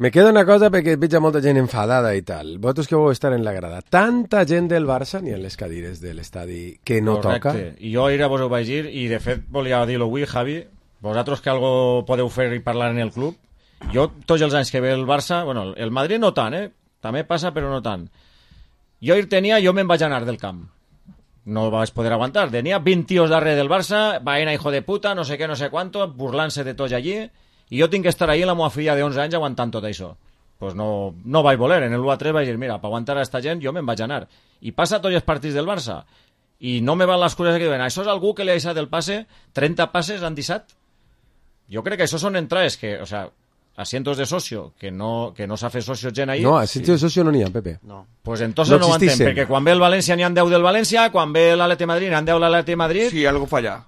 Me queda una cosa perquè veig molta gent enfadada i tal. Vosaltres que vau estar en la grada. Tanta gent del Barça ni en les cadires de l'estadi que no toca. I jo ahir vos ho vaig dir i de fet volia dir-ho avui, Javi. Vosaltres que algo podeu fer i parlar en el club. Jo tots els anys que ve el Barça, bueno, el Madrid no tant, també passa però no tant. Jo me'n vaig anar del camp. No vaig poder aguantar. Tenia 20 tios darrere del Barça, vaina hijo de puta, no sé què, no sé cuánto, burlant-se de tots allí. I jo tinc que estar ahí amb la meva filla de 11 anys aguantant tot això. Pues no vaig voler. En el 1-3 vaig dir, mira, per aguantar a esta gent jo me'n vaig anar. I passa tots els partits del Barça. I no me van les coses que diuen, això és algú que li ha deixat el passe, 30 passes l'han deixat. Jo crec que això són entrades que, o sea, asientos de socio, que no s'ha fet socio gent ahí. No, asientos de socio no n'hi ha, Pepe. No. Pues entonces no ho entenc, perquè quan ve el València n'hi ha 10 del València, quan ve l'Atleti de Madrid n'hi ha 10 l'Atleti de Madrid. Sí, algo falla.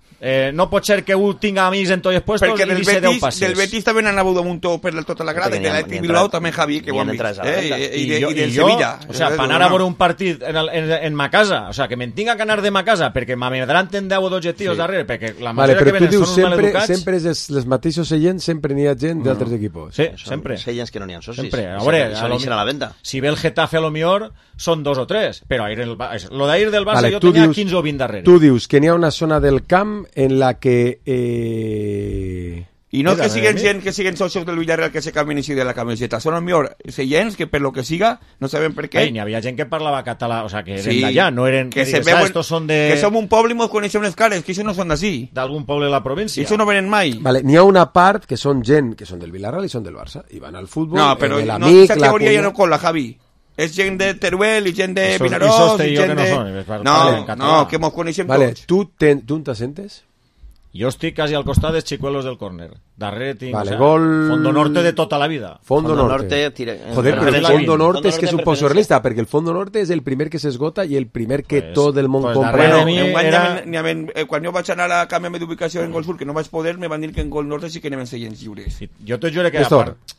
No pot ser que un tinga amics en tots els puestos perquè i deixi 10 passes. Del Betis també n'han hagut un muntó per tota la grada, i de l'Atleti Bilbao també, Javi, que ho han vist. I del Sevilla. O sea, per anar a veure un partit en ma casa, o sea, que me'n tinga que anar de ma casa perquè m'amedranten 10 o 12 tios darrere, perquè la majoria que venen són uns maleducats. Sempre és els mateixos seients, sempre n'hi ha gent d'altres equipos. Sí, sempre. Seients que no n'hi ha socis. Sempre. A veure, a la venda. Si ve el Getafe a lo millor són 2 o 3, però lo d'ahir del Barça jo tenia 15 o 20 darrere. Tu dius que n'hi ha una zona del camp en la que i no que siguen socios del Villarreal que se canvien així de la camiseta, són el millor seients que per lo que siga no sabem per què. N'hi havia gent que parlava català, o sea, que eren d'allà, no eren que som un poble i ens coneixem les cares, que això no són d'ací, d'algun poble de la província, i això no venen mai. Vale, n'hi ha una part que són gent que són del Villarreal i són del Barça i van al futbol, no, però aquesta teoria ja no cola, Javi. És gent de Teruel i gent de Vinaròs i gent de... No, que mos coneixem tots. Tu on t'assentes? Jo estic quasi al costat dels xicuelos del córner. Darrere tinc, vale, gol... Fondo Norte de tota la vida. Fondo Norte. Joder, però el Fondo Norte és que és un poc surrealista, perquè el Fondo Norte és el primer que s'esgota i el primer que tot el món compra. Quan jo vaig anar a canviar d'ubicació en Gol Sur, que no vaig poder, me van dir que en Gol Norte sí que anaven seients lliures. Jo te juro que a part...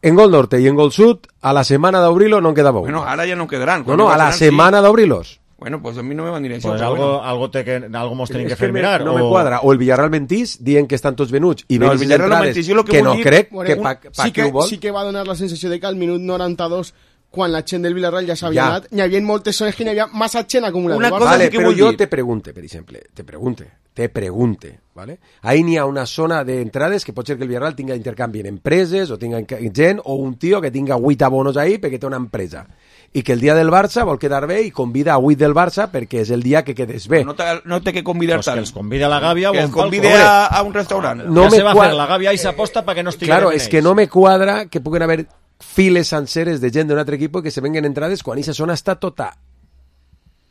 En Gol Norte y en Gol Sud, a la semana de abrilo no quedaba uno. Bueno, ahora ya no quedarán. No, a la semana de abrilos. Bueno, pues a mí no me van a ir eso. Pues algo mos tenim que fer mirar. No me cuadra. O el Villarreal mentís, dient que estan tots venuts i venis el Villarreal entrades que no crec que ho vol. Sí que va donar la sensació de que al minut 92, quan la gent del Villarreal ja s'havia anat, n'hi havia moltes zones que n'hi havia massa gent acumulada. Una cosa vale, sí que però jo dir. te pregunte, ¿vale? Ahí n'hi ha una zona d'entrades que pot ser que el Villarreal tinga intercanvi en empreses o tinga gent o un tio que tinga 8 abonos ahí perquè té una empresa i que el dia del Barça vol quedar bé i convida a 8 del Barça perquè és el dia que quedes bé. No té que convidar tant. Que els convida a la Gàbia que o els convide a un restaurant. No me va fer la Gàbia i s'aposta perquè no estigui claro, és que no me cuadra que puguen haver files senceres de gent d'un altre equip que se venguen entrades quan aquesta zona està tota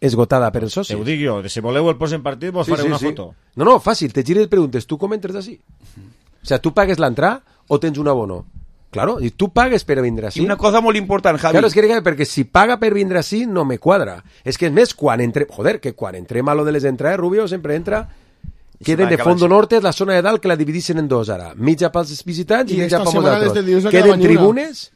esgotada per els socis. Ho dic jo, si voleu el posen partit vos faré una foto. No, fàcil, te gires i preguntes, tu com entres d'ací? O sea, tu pagues l'entrada o tens un abono? Claro, i tu pagues per vindre així. I una cosa molt important, Javi. Claro, és que perquè si paga per vindre així no me quadra. És que és més, quan entrem a lo de les entrades, Rubio sempre entra... Queden de Fondo Norte, la zona de dalt, que la dividissin en dos ara. Mitja pels visitants i mitja pels altres. Queden tribunes,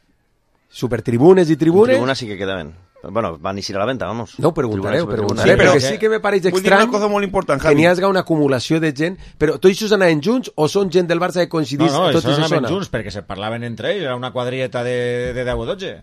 supertribunes i tribunes. Tribunes sí que quedaven. Bueno, van a ir a la venta, vamos. No, preguntaré, perquè sí que me pareix estrany una cosa molt important, que n'hi hagi una acumulació de gent, però tots això anaven junts o són gent del Barça que coincidís tots a anaven junts, perquè se parlaven entre ells, era una quadrilleta de 10 o 12.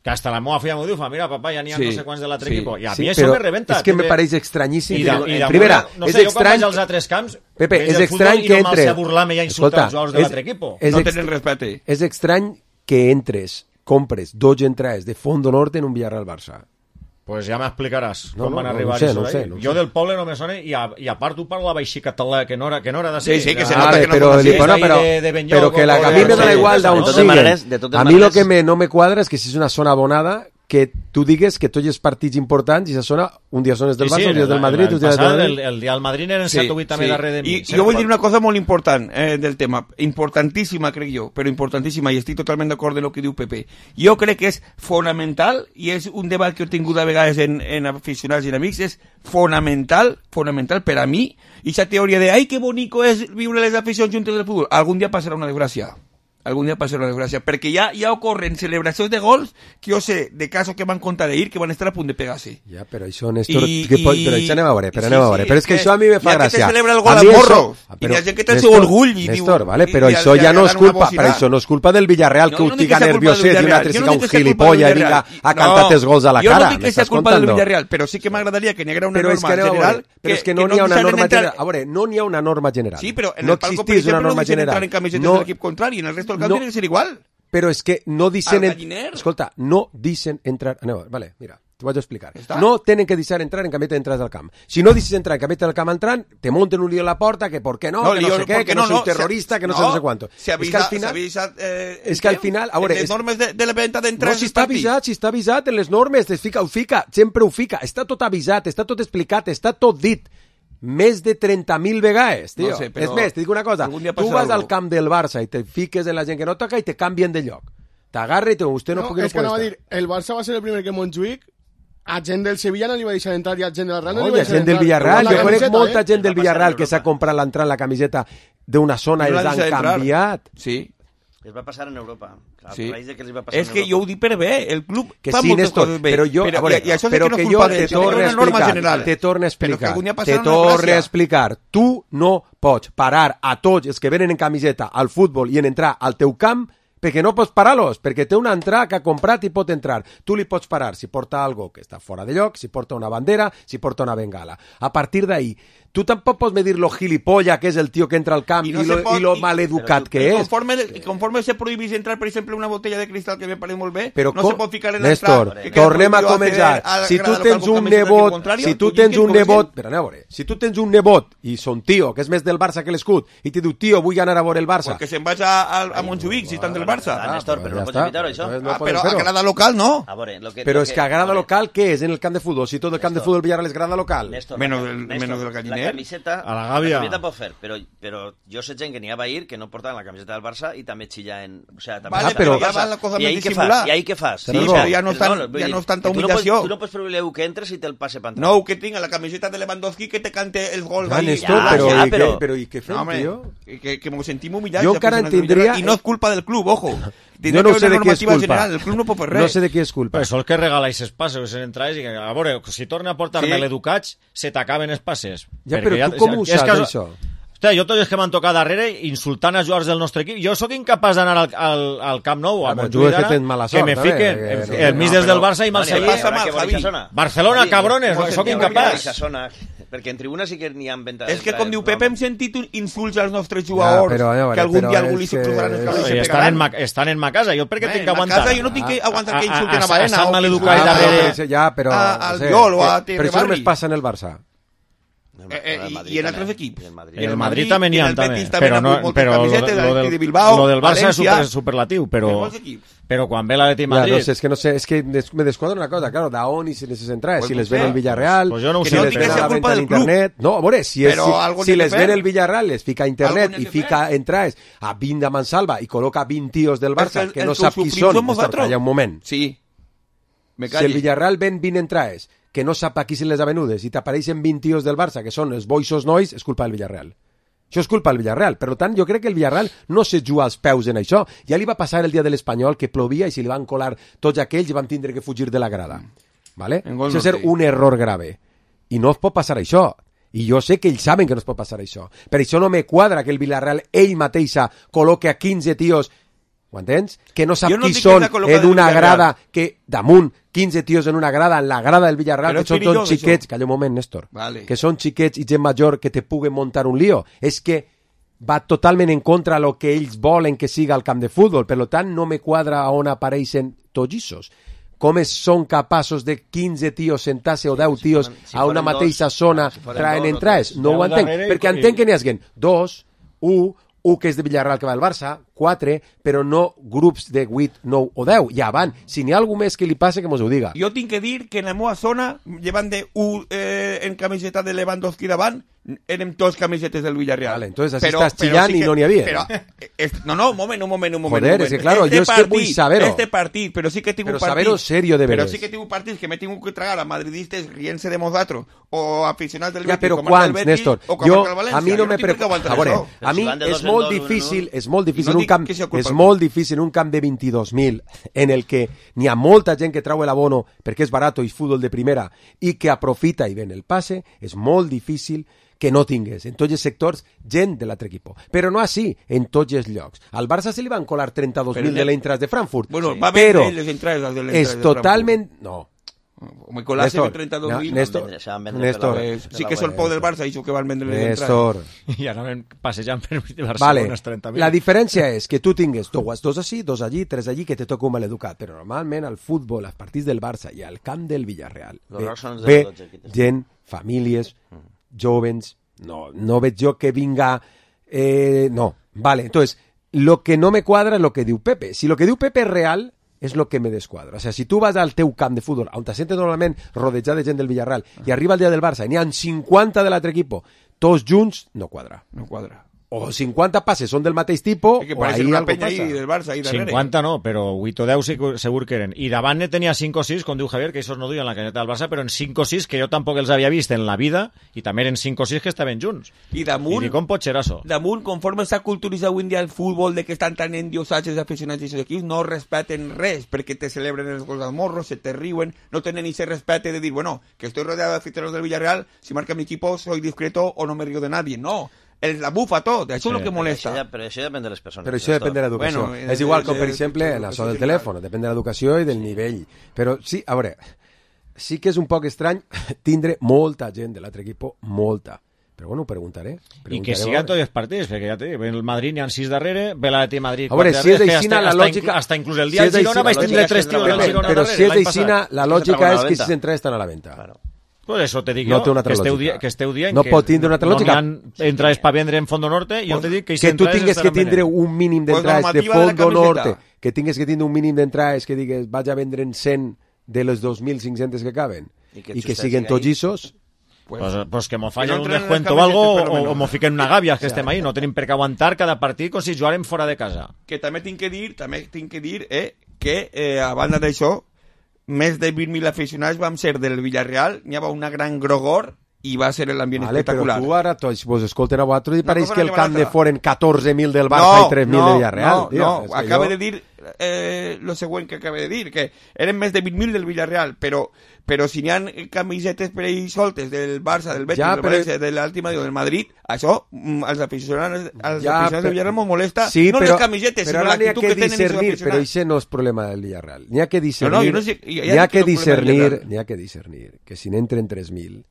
Que hasta la meva filla m'ho diu, mira, papà, ja n'hi ha no sé quants de l'altre equip. I a mi això me rebenta. És que me pareix estranyíssim. Primera, és estrany... als altres camps, Pepe, és estrany que entres... I no burlar-me i a insultar els jugadors de l'altre equip. No tenen respecte. És estrany que entres, compres 2 entrades de Fondo Norte en un Villarreal Barça. Pues ja m'explicaràs com van arribar no sé. Jo del poble no me sona i a part tu parlava així català que no era de ser. Sí, que se nota que no però que a mi me dona igual d'on siguen. A mi lo que no me quadra és que si és una zona abonada que tu digues que tots els partits importants i esa zona, un dia són els del Barça, un dia del Madrid, un dia del Madrid. El dia del Madrid eren 7 o 8 també darrere de mi. I jo vull dir una cosa molt important del tema, importantíssima crec jo, però importantíssima, i estic totalment d'acord amb el que diu Pepe. Jo crec que és fonamental, i és un debat que he tingut a vegades en aficionats i en amics, és fonamental per a mi, i aquesta teoria de ai, que bonico és viure les aficions juntes del futbol, algun dia passarà una desgràcia. Perquè ja ocorren celebracions de gols que jo sé de casos que van contar d'ahir que van estar a punt de pegar-se. Ja, però això, Néstor, però això anem a veure, però és que això a mi me fa gràcia. Ja que te celebra el gol a morro, i hi ha gent que té el seu orgull i diu... Néstor, però això ja no és culpa, però això no és culpa del Villarreal que ho tiga nervioset i un altre siga un gilipollas i vinga a cantar els gols a la cara. Jo no dic que sigui culpa del Villarreal, però sí que m'agradaria que n'hi haguera una norma general. Però és que no n'hi ha una norma general. A veure, no n'hi ha una norma general. Sí, però en el palco, per exemple, no deixen entrar en camisetes de l'equip contrari, en el resto del camp tiene que ser igual. Però és que no dicen... Escolta, no dicen entrar... Vale, mira. T'ho vaig explicar. No tenen que deixar entrar en camiseta d'entrades al camp. Si no deixes entrar en camiseta del camp entrant, te monten un lío a la porta, que por qué no, que no sé què, que no soy terrorista, que no sé cuánto. És que al final... Les normes de la venda d'entrades... No, si està avisat en les normes, ho fica, sempre ho fica. Està tot avisat, està tot explicat, està tot dit. Més de 30.000 vegades, tio. No sé, és més, te dic una cosa. Tu vas al camp del Barça i te fiques en la gent que no toca i te canvien de lloc. T'agarra i vostè no pugui... És que anava a dir, el Barça va ser el primer que Montjuïc a gent del Sevilla no li va deixar entrar i a gent del Real no li va deixar entrar. Gent del Villarreal, jo conec molta gent del Villarreal que s'ha comprat l'entrada en la camiseta d'una zona i els han canviat. Sí. Es va passar en Europa. Clar, sí. Que els va passar és que jo ho dic per bé, el club que fa sí, moltes Néstor, coses bé. Però jo, i això però que jo te torno a explicar. Tu no pots parar a tots els que venen en camiseta al futbol i en entrar al teu camp perquè no pots parar-los, perquè té una entrada que ha comprat i pot entrar. Tu li pots parar si porta algo que està fora de lloc, si porta una bandera, si porta una bengala. A partir d'ahí, tu tampoc pots medir lo gilipolla que és el tio que entra al camp i lo maleducat que és. Conforme se prohibís entrar, per exemple, una botella de cristal que me pareix molt bé, però no se pot ficar en Néstor, tornem a començar. Si tu tens un nebot, però anem a veure, si tu tens un nebot i son tio, que és més del Barça que l'escut, i te diu, tio, vull anar a veure el Barça. Perquè se'n vaig a Montjuïc, si estan del Barça. Néstor, però no pots evitar això. Però a grada local no. Però és que a grada local què és en el camp de futbol? Si tot el camp de futbol Villarreal és grada local. Menos del galliner. La camiseta, a la gàbia. La camiseta pot fer, però jo sé gent que n'hi ha a ir que no portaven la camiseta del Barça i també xillaven... O sea, també però ja va la cosa més dissimular. I ahí què fas? Sí, però ja no és tanta humillació. Tu no pots prohibir que entres i te'l passe per entrar. No, que tinga la camiseta de Lewandowski que te cante el gol. Però i què fem, tio? Que m'ho sentim humillats. Jo encara entendria... I no és culpa del club, ojo. Jo no sé de qui és culpa. General. El club no pot fer res. No sé de qui és culpa. Però això el que regala aquests passes en entrades i que, a veure, si torna a portar-me l'educats, se t'acaben els passes. Ja, però tu com ho saps, això? Hòstia, jo tots els que m'han tocat darrere insultant a jugadors del nostre equip, jo sóc incapaç d'anar al Camp Nou, a Montjuïc d'ara, que me fiquen el mig des del Barça i me'l seguien. Barcelona, cabrones, sóc incapaç. Perquè en tribuna sí que n'hi ha venta. És que, com diu Pepe, hem sentit insults als nostres jugadors, que algun dia algú li s'explosaran els cabells i se pegaran. Estan en ma casa, jo per què tinc que aguantar? A casa jo no tinc que aguantar que insulten a Baena o al Llol o a Pero eso no me pasa en el Barça. Y en otros equipos. En el Madrid también hi ha, però lo del Barça és superlatiu, però quan ve l'Atleti Madrid... No sé, és que me desquadra una cosa, claro, d'on i si les entrades, si les ven el Villarreal, si les ven a la venta en internet... No, a veure, si les ven el Villarreal, les fica a internet i fica entrades a 20 de Mansalva i col·loca 20 tios del Barça que no sap qui són, calla un moment. Sí. Si el Villarreal ven 20 entrades que no sap a qui se les ha venudes i t'apareixen 20 tios del Barça que són els boixos nois, és culpa del Villarreal. Això és culpa del Villarreal. Per tant, jo crec que el Villarreal no se juga als peus en això. Ja li va passar el dia de l'Espanyol que plovia i si li van colar tots aquells i van tindre que fugir de la grada. ¿Vale? Això és ser un error grave. I no es pot passar això. I jo sé que ells saben que no es pot passar això. Per això no me quadra que el Villarreal ell mateixa col·loque a 15 tios, ho entens? Que no sap qui són en una grada, que damunt 15 tios en una grada, en la grada del Villarreal, que són tots xiquets, calla un moment, Néstor, que són xiquets i gent major que te puguen muntar un lío. És que va totalment en contra lo que ells volen que siga el camp de futbol, per tant no me quadra on apareixen tots issos. Com són capaços de 15 tios sentar-se o 10 tios a una mateixa zona traient entrades? No ho entenc, perquè entenc que n'hi haguen 2, 1 que és de Villarreal que va al Barça, 4, però no grups de 8, 9 o 10. Ja van. Si n'hi ha algú més que li passe, que mos ho diga. Jo tinc que dir que en la meva zona, llevant de en camiseta de Lewandowski davant, érem tots camisetes del Villarreal. Vale, entonces así estás chillant i no n'hi havia. No, un moment. Joder, es que claro, yo es que vull saber-ho. Este partit, però sí que tinc un partit... Però saber-ho serio de veres. Però sí que tinc un partit que me tinc que tragar a madridistes riéndose de nosotros, o aficionats del Betis, ja, però quants, Néstor? A mi no me preocupa. A veure, a mi és molt difícil un camp de 22.000 en el que n'hi ha molta gent que trau l'abono perquè és barat i és futbol de primera i que aprofita i ven el passe, és molt difícil que no tingués en tots els sectors gent de l'altre equip. Però no així, en tots els llocs. Al Barça se li van colar 32.000 de l'Eintracht de Frankfurt. Bueno, va però és totalment... No. Nicolás Néstor, 32.000. Néstor. Sí que és el pou del Barça, això que van vendre les Néstor. I anaven passejant per Barcelona Vale, unes 30.000. la diferència és que tu tingues dos així, dos allí, tres allí, que te toca un maleducat, però normalment al futbol, als partits del Barça i al camp del Villarreal ve gent, famílies, jóvens, no veig jo que vinga... no, vale, entonces, lo que no me cuadra es lo que diu Pepe. Si lo que diu Pepe es real, és lo que me desquadra. O sea, si tu vas al teu camp de futbol, on te sentes normalment rodejat de gent del Villarreal, i arriba el dia del Barça i n'hi ha 50 de l'altre equip, tots junts, no quadra. No quadra. O 50 passes són del mateix tipus, que o ahí una algo penya passa. del Barça ahí darrere. 50 no, però 8 o 10 segur que eren. I davant ne tenia 5 o 6, com diu Javier, que això no duien la caneta del Barça, però en 5 o 6 que jo tampoc els havia vist en la vida, i també eren 5 o 6 que estaven junts. I damunt... I dic, com pot ser això? Damunt, conforme s'ha culturitzat avui en dia el futbol, de que estan tan endiosats els aficionats d'aquests equips, no respeten res, perquè te celebren els gols al morro, se te riuen, no tenen ni ese respete de dir, bueno, que estoy rodeado de aficionados del Villarreal, si marca mi equipo soy discreto o no me río de nadie. No, la bufa tot, això és el que molesta. Però això depèn de les persones. Però això depèn de l'educació. Bueno, és igual com, per exemple, en això del telèfon, depèn de l'educació i del nivell. Però sí, a veure, sí que és un poc estrany tindre molta gent de l'altre equip, molta. Però bueno, preguntaré. I que sigan tots els partits, perquè ja te dic, el Madrid n'hi ha 6 darrere, ve l'Atleti Madrid 4 a veure, si és d'aixina, la lògica... Hasta inclús el dia de Girona vaig tindre 3 tios del Girona darrere. Però si és d'aixina, la lògica és que si s'entrades estan a la venda. Pues eso te dic no jo, que esteu dient no pot tindre una altra lògica. No n'hi ha entrades per vendre en Fondo Norte, jo te dic que tu tingues que tindre un mínim d'entrades de Fondo Norte, que tingues que tindre un mínim d'entrades que digues vaig a vendre en 100 de les 2.500 que caben i que siguen tots lliços. Pues que m'ho fallen un descuento o algo o m'ho fiquen una gàbia que estem ahí, no tenim per què aguantar cada partit com si jugarem fora de casa. Que també tinc que dir que a banda d'això més de 20.000 aficionats vam ser del Villarreal, n'hi havia una gran grogor i va ser l'ambient espectacular. Però tu ara tots vos escolten a vosaltres i pareix que el camp de foren 14.000 del Barça i 3.000 del Villarreal. No, acaba de dir lo següent que acaba de dir, que eren més de 20.000 del Villarreal, però si n'hi ha camisetes per ahí soltes del Barça, del Betis, del València, de l'Àltima o del Madrid, això als aficionats del Villarreal m'ho molesta, no les camisetes, sinó l'actitud que tenen els aficionats. Però això no és problema del Villarreal. N'hi ha que discernir que si n'entren 3.000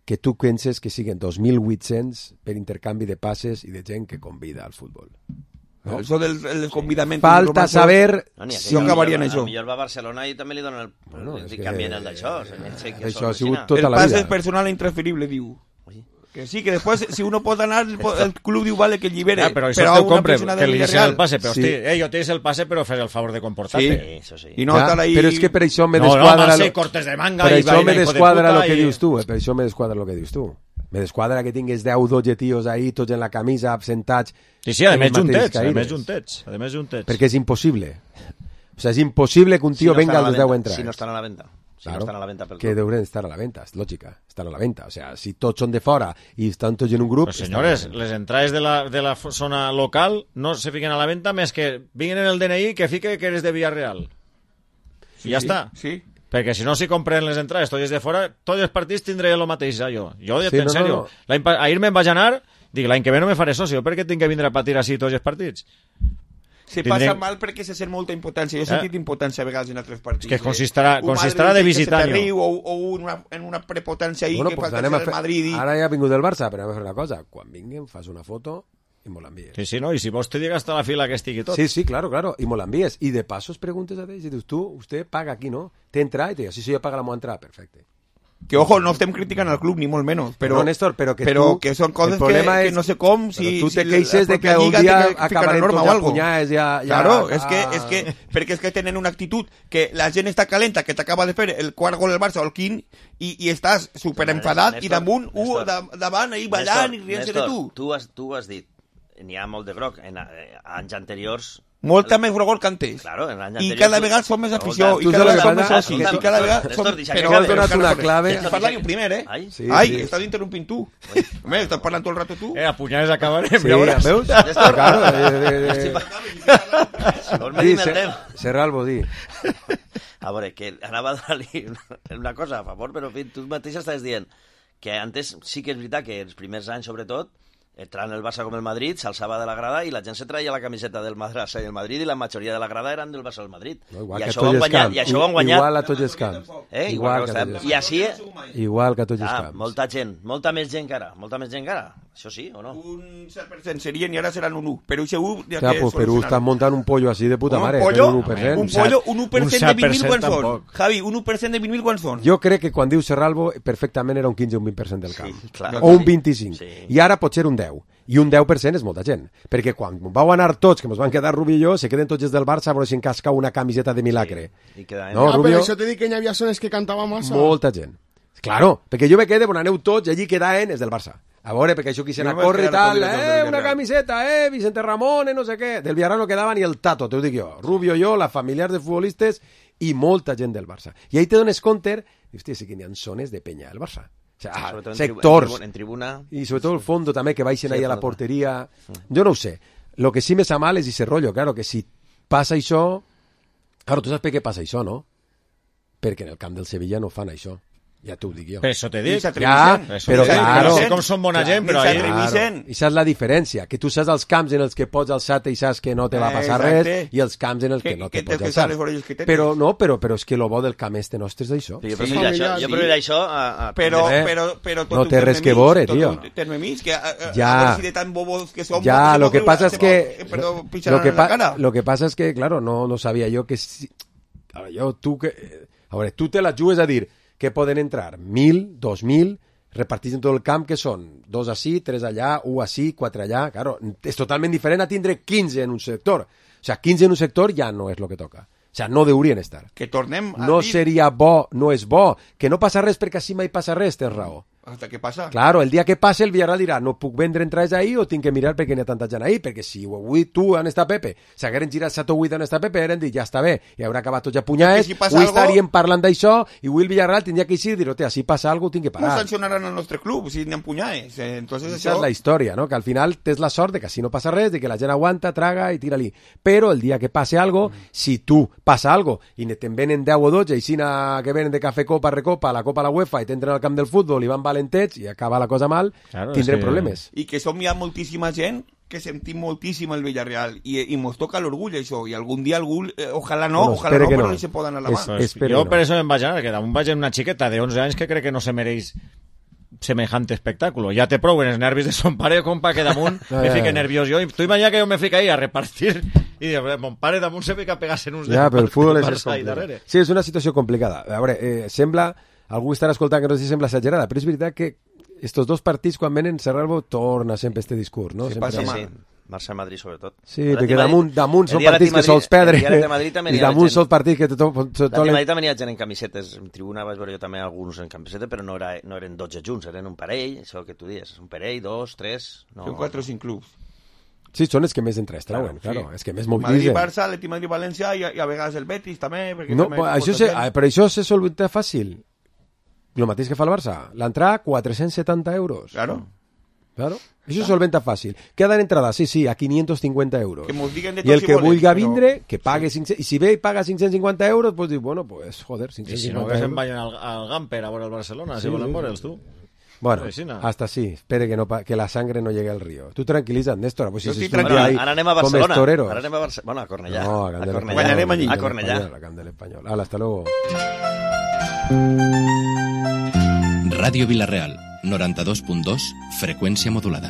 que tu penses que siguen 2.800 per intercanvi de passes i de gent que convida al futbol. No? Això del convidament... Falta saber si acabaria en això. Millor va a Barcelona i també li donen el canvien el d'això. Això ha sigut tota la vida. El pas és personal e intransferible, diu. Que sí, que després, si uno pot anar, el club diu, vale, que el llibere. Però això t'ho compre, que li deixen el passe. Però, hosti, jo tens el passe, però fes el favor de comportar-te. Sí, això sí. I no estar ahí... Però és que per això me desquadra... No, cortes de manga per això me desquadra el que dius tu. Per això me desquadra el que dius tu. Me desquadra que tingues 10 o 12 tios ahí, tots en la camisa, absentats... Sí, a més juntets. Perquè és impossible. O sigui, és impossible que un tio venga als 10 entrades. Si no estan a la venda. Claro, no estan a la venta que deurien estar a la venta, és lògica, estan a la venta. O sea, si tots són de fora i estan tots en un grup... Però senyores, les entrades de la zona local no se fiquen a la venta més que vinguin en el DNI que fique que eres de Villarreal. I ja està. Sí. Perquè si no s'hi compren les entrades tots de fora, tots els partits tindré el mateix, jo. Jo, en sèrio. Ahir me'n vaig anar, dic, l'any que ve no me faré soci, per què tinc que vindre a patir així tots els partits? Se passa mal perquè se sent molta impotència. Jo he sentit impotència a vegades en altres partits. És que consistirà de visitar-lo. O en una prepotència ahí que falta ser el Madrid. Ara ja ha vingut del Barça, però anem a fer una cosa. Quan vinguin, fas una foto i me l'envies. Sí, no, i si vols te llega hasta la fila que estigui tot. Sí, claro, i me l'envies. I de pasos preguntes a ells i dius, usted paga aquí, ¿no? Te entra? I te dius, sí, jo paga la meva entrada, perfecte. Que, ojo, no estem criticant al club, ni molt menys. Però, no, Néstor, però que són coses que no sé com... Si tu te queixes de que un dia acabarem tots a punyades ja... Claro, és que perquè és que tenen una actitud que la gent està calenta, que t'acaba de fer el quart gol del Barça o el quint, i estàs superenfadat i damunt, davant, ahí ballant i rient-se de tu. Tu has dit, n'hi ha molt de groc, en anys anteriors... Molta més grogor que antes. Claro, i cada vegada som més afició, i cada vegada som més socis, i cada vegada som... Però has donat una clave... Parla-hi un primer, eh? Ai, estàs interrompint tu. Home, estàs parlant tot el rato tu. A punyades acabarem, ja veuràs. Veus? Serra el bodí. A veure, que anava a donar-li una cosa a favor, però tu mateix estàs dient que antes sí que és veritat que els primers anys, sobretot, entrant el Barça com el Madrid, s'alçava de la grada i la gent se traia la camiseta del Barça i el Madrid i la majoria de la grada eren del Barça o del Madrid. No, igual I que això van guanyar. Igual a tots els camps. Igual que a tots els camps. I així... Igual que a tots els camps. Molta gent, molta més gent que ara. Això sí, o no? Un 7% serien i ara seran un 1%. Però això 1%... Ja, pues Perú està muntant un pollo així de puta mare. Un pollo? Un 1%. Un pollo, un 1% de 20.000 quants són? Javi, un 1% de 20.000 quants són? Jo crec que quan diu Serralvo perfectament era un 15 o un 20% del camp. Sí, clar. O un 25%. Sí. I ara pot ser un 10%. I un 10% és molta gent. Perquè quan vau anar tots, que ens van quedar Rubio i jo, se queden tots els del Barça a veure si encasca una camiseta de milagre. Sí. No, Rubio? Però això t'he dit que hi havia zones que cantava massa. Molta gent. Claro, perquè jo me quedé, quan aneu tots, i allí quedaven els del Barça. A veure, perquè això quisien a córrer i tal, una camiseta, Vicente Ramón, no sé què. Del Villarreal no quedava ni el Tato, t'ho dic jo. Rubio, jo, la familiar de futbolistes i molta gent del Barça. I ahí te dones compte, hòstia, sí que n'hi ha zones de penya al Barça. O sea, sectors. En tribuna. Y sobre todo el fondo también, que baixen ahí a la portería. Yo no ho sé. Lo que sí me sa mal és ese rollo, claro, que si passa això... Claro, tu saps per què passa això, no? Perquè en el camp del Sevilla no fan això. Ja t'ho dic jo. Per això t'he dit. Ja, però claro... No sé com són bona gent, però... Claro, i saps la diferència, que tu saps els camps en els que pots alçar-te i saps que no te va passar res, i els camps en els que no te pots alçar. Però no, però és que lo bo del camp este nostre és això. Jo preferiré això a... Però no té res que veure, tio. Ja, si de tan bobos que som... Ja, lo que pasa es que... Lo que pasa es que, claro, no sabia jo que... A veure, tu te la jugues a dir que poden entrar 1.000, 2.000, repartits en tot el camp, que són 2 ací, 3 allà, 1 ací, 4 allà. Claro, és totalment diferent a tindre 15 en un sector. O sea, 15 en un sector ja no és el que toca. O sea, no deurien estar. Que tornem a no dir... seria bo, no és bo. Que no passa res perquè així mai passa res, tens raó. Hasta que passa. Claro, el dia que passe el Villarreal dirà no puc vendre entrades ahí o tinc que mirar perquè n'hi ha tanta gent ahí, perquè si avui tu on està Pepe s'hagueren girat 7 o 8 on està Pepe eren dit ja està bé, i haurà acabat tots a punyades, si avui estaríem parlant d'això i avui el Villarreal tindria que eixir i dir, hòstia, si passa alguna cosa tinc que parar. No sancionaran al nostre club si n'hi ha punyades. Entonces això és la història, no? Que al final tens la sort de que si no passa res, de que la gent aguanta, traga i tira-li. Però el dia que passe algo, si tu passa algo i te'n venen 10 o 12 i sina que venen de cafè copa, recopa, la copa a la UEFA i t'entren al camp del futbol i van valentets i acaba la cosa mal, claro, tindrem problemes. I que som ja moltíssima gent que sentim moltíssim el Villarreal i mos toca l'orgull això, i algun dia algú, ojalà no, però no se poden a la mà. Jo per això em vaig anar, que damunt vaig una xiqueta de 11 anys que crec que no se mereix semejante espectáculo. Ya te prou en els nervis de son pare, compa, que damunt me fique nerviós jo. Tu imagina que jo me fica ahí a repartir i mon pare damunt se fica a pegar-se en uns... Ja, però el futbol és complicat. Sí, és una situació complicada. A veure, sembla... Algú estarà escoltant que no sé si sembla exagerada, però és veritat que estos dos partits, quan venen, Serralvo torna sempre este discurs, no? Sí, sí. Barça-Madrid, sobretot. Sí, perquè damunt són partits que sols perdre, i damunt són partits que... Madrid també hi ha gent en camisetes, en tribuna vaig veure jo també alguns en camiseta, però no eren 12 junts, eren un parell, això que tu dius, un parell, 2, 3... Són 4 o 5 clubs. Sí, són els que més entres trauen, claro, és que més mobilitzen. Madrid-Barça, Atleti Madrid-València i a vegades el Betis també. No, però això se solventa fàcil. El mateix que fa el Barça. L'entrada, 470 euros. Claro. Això solventa fàcil. Queda d'entrada, sí, a 550 euros. Que I el que vulgui vindre, que pague 500... I si ve i paga 550 euros, pues diu, bueno, pues, joder, 550 euros. I si no, que se'n vayan al Gamper a veure el Barcelona, si volen veure'ls, tu. Bueno, hasta sí. Espere que la sangre no llegue al río. Tú tranquiliza, Néstor. Pues si ahora anem a Barcelona. Ahora anem a Barcelona. Bueno, a Cornellà. No, a Cornellà. A Candel Español. Hala, hasta luego. Ràdio Vila-real, 92.2, freqüència modulada.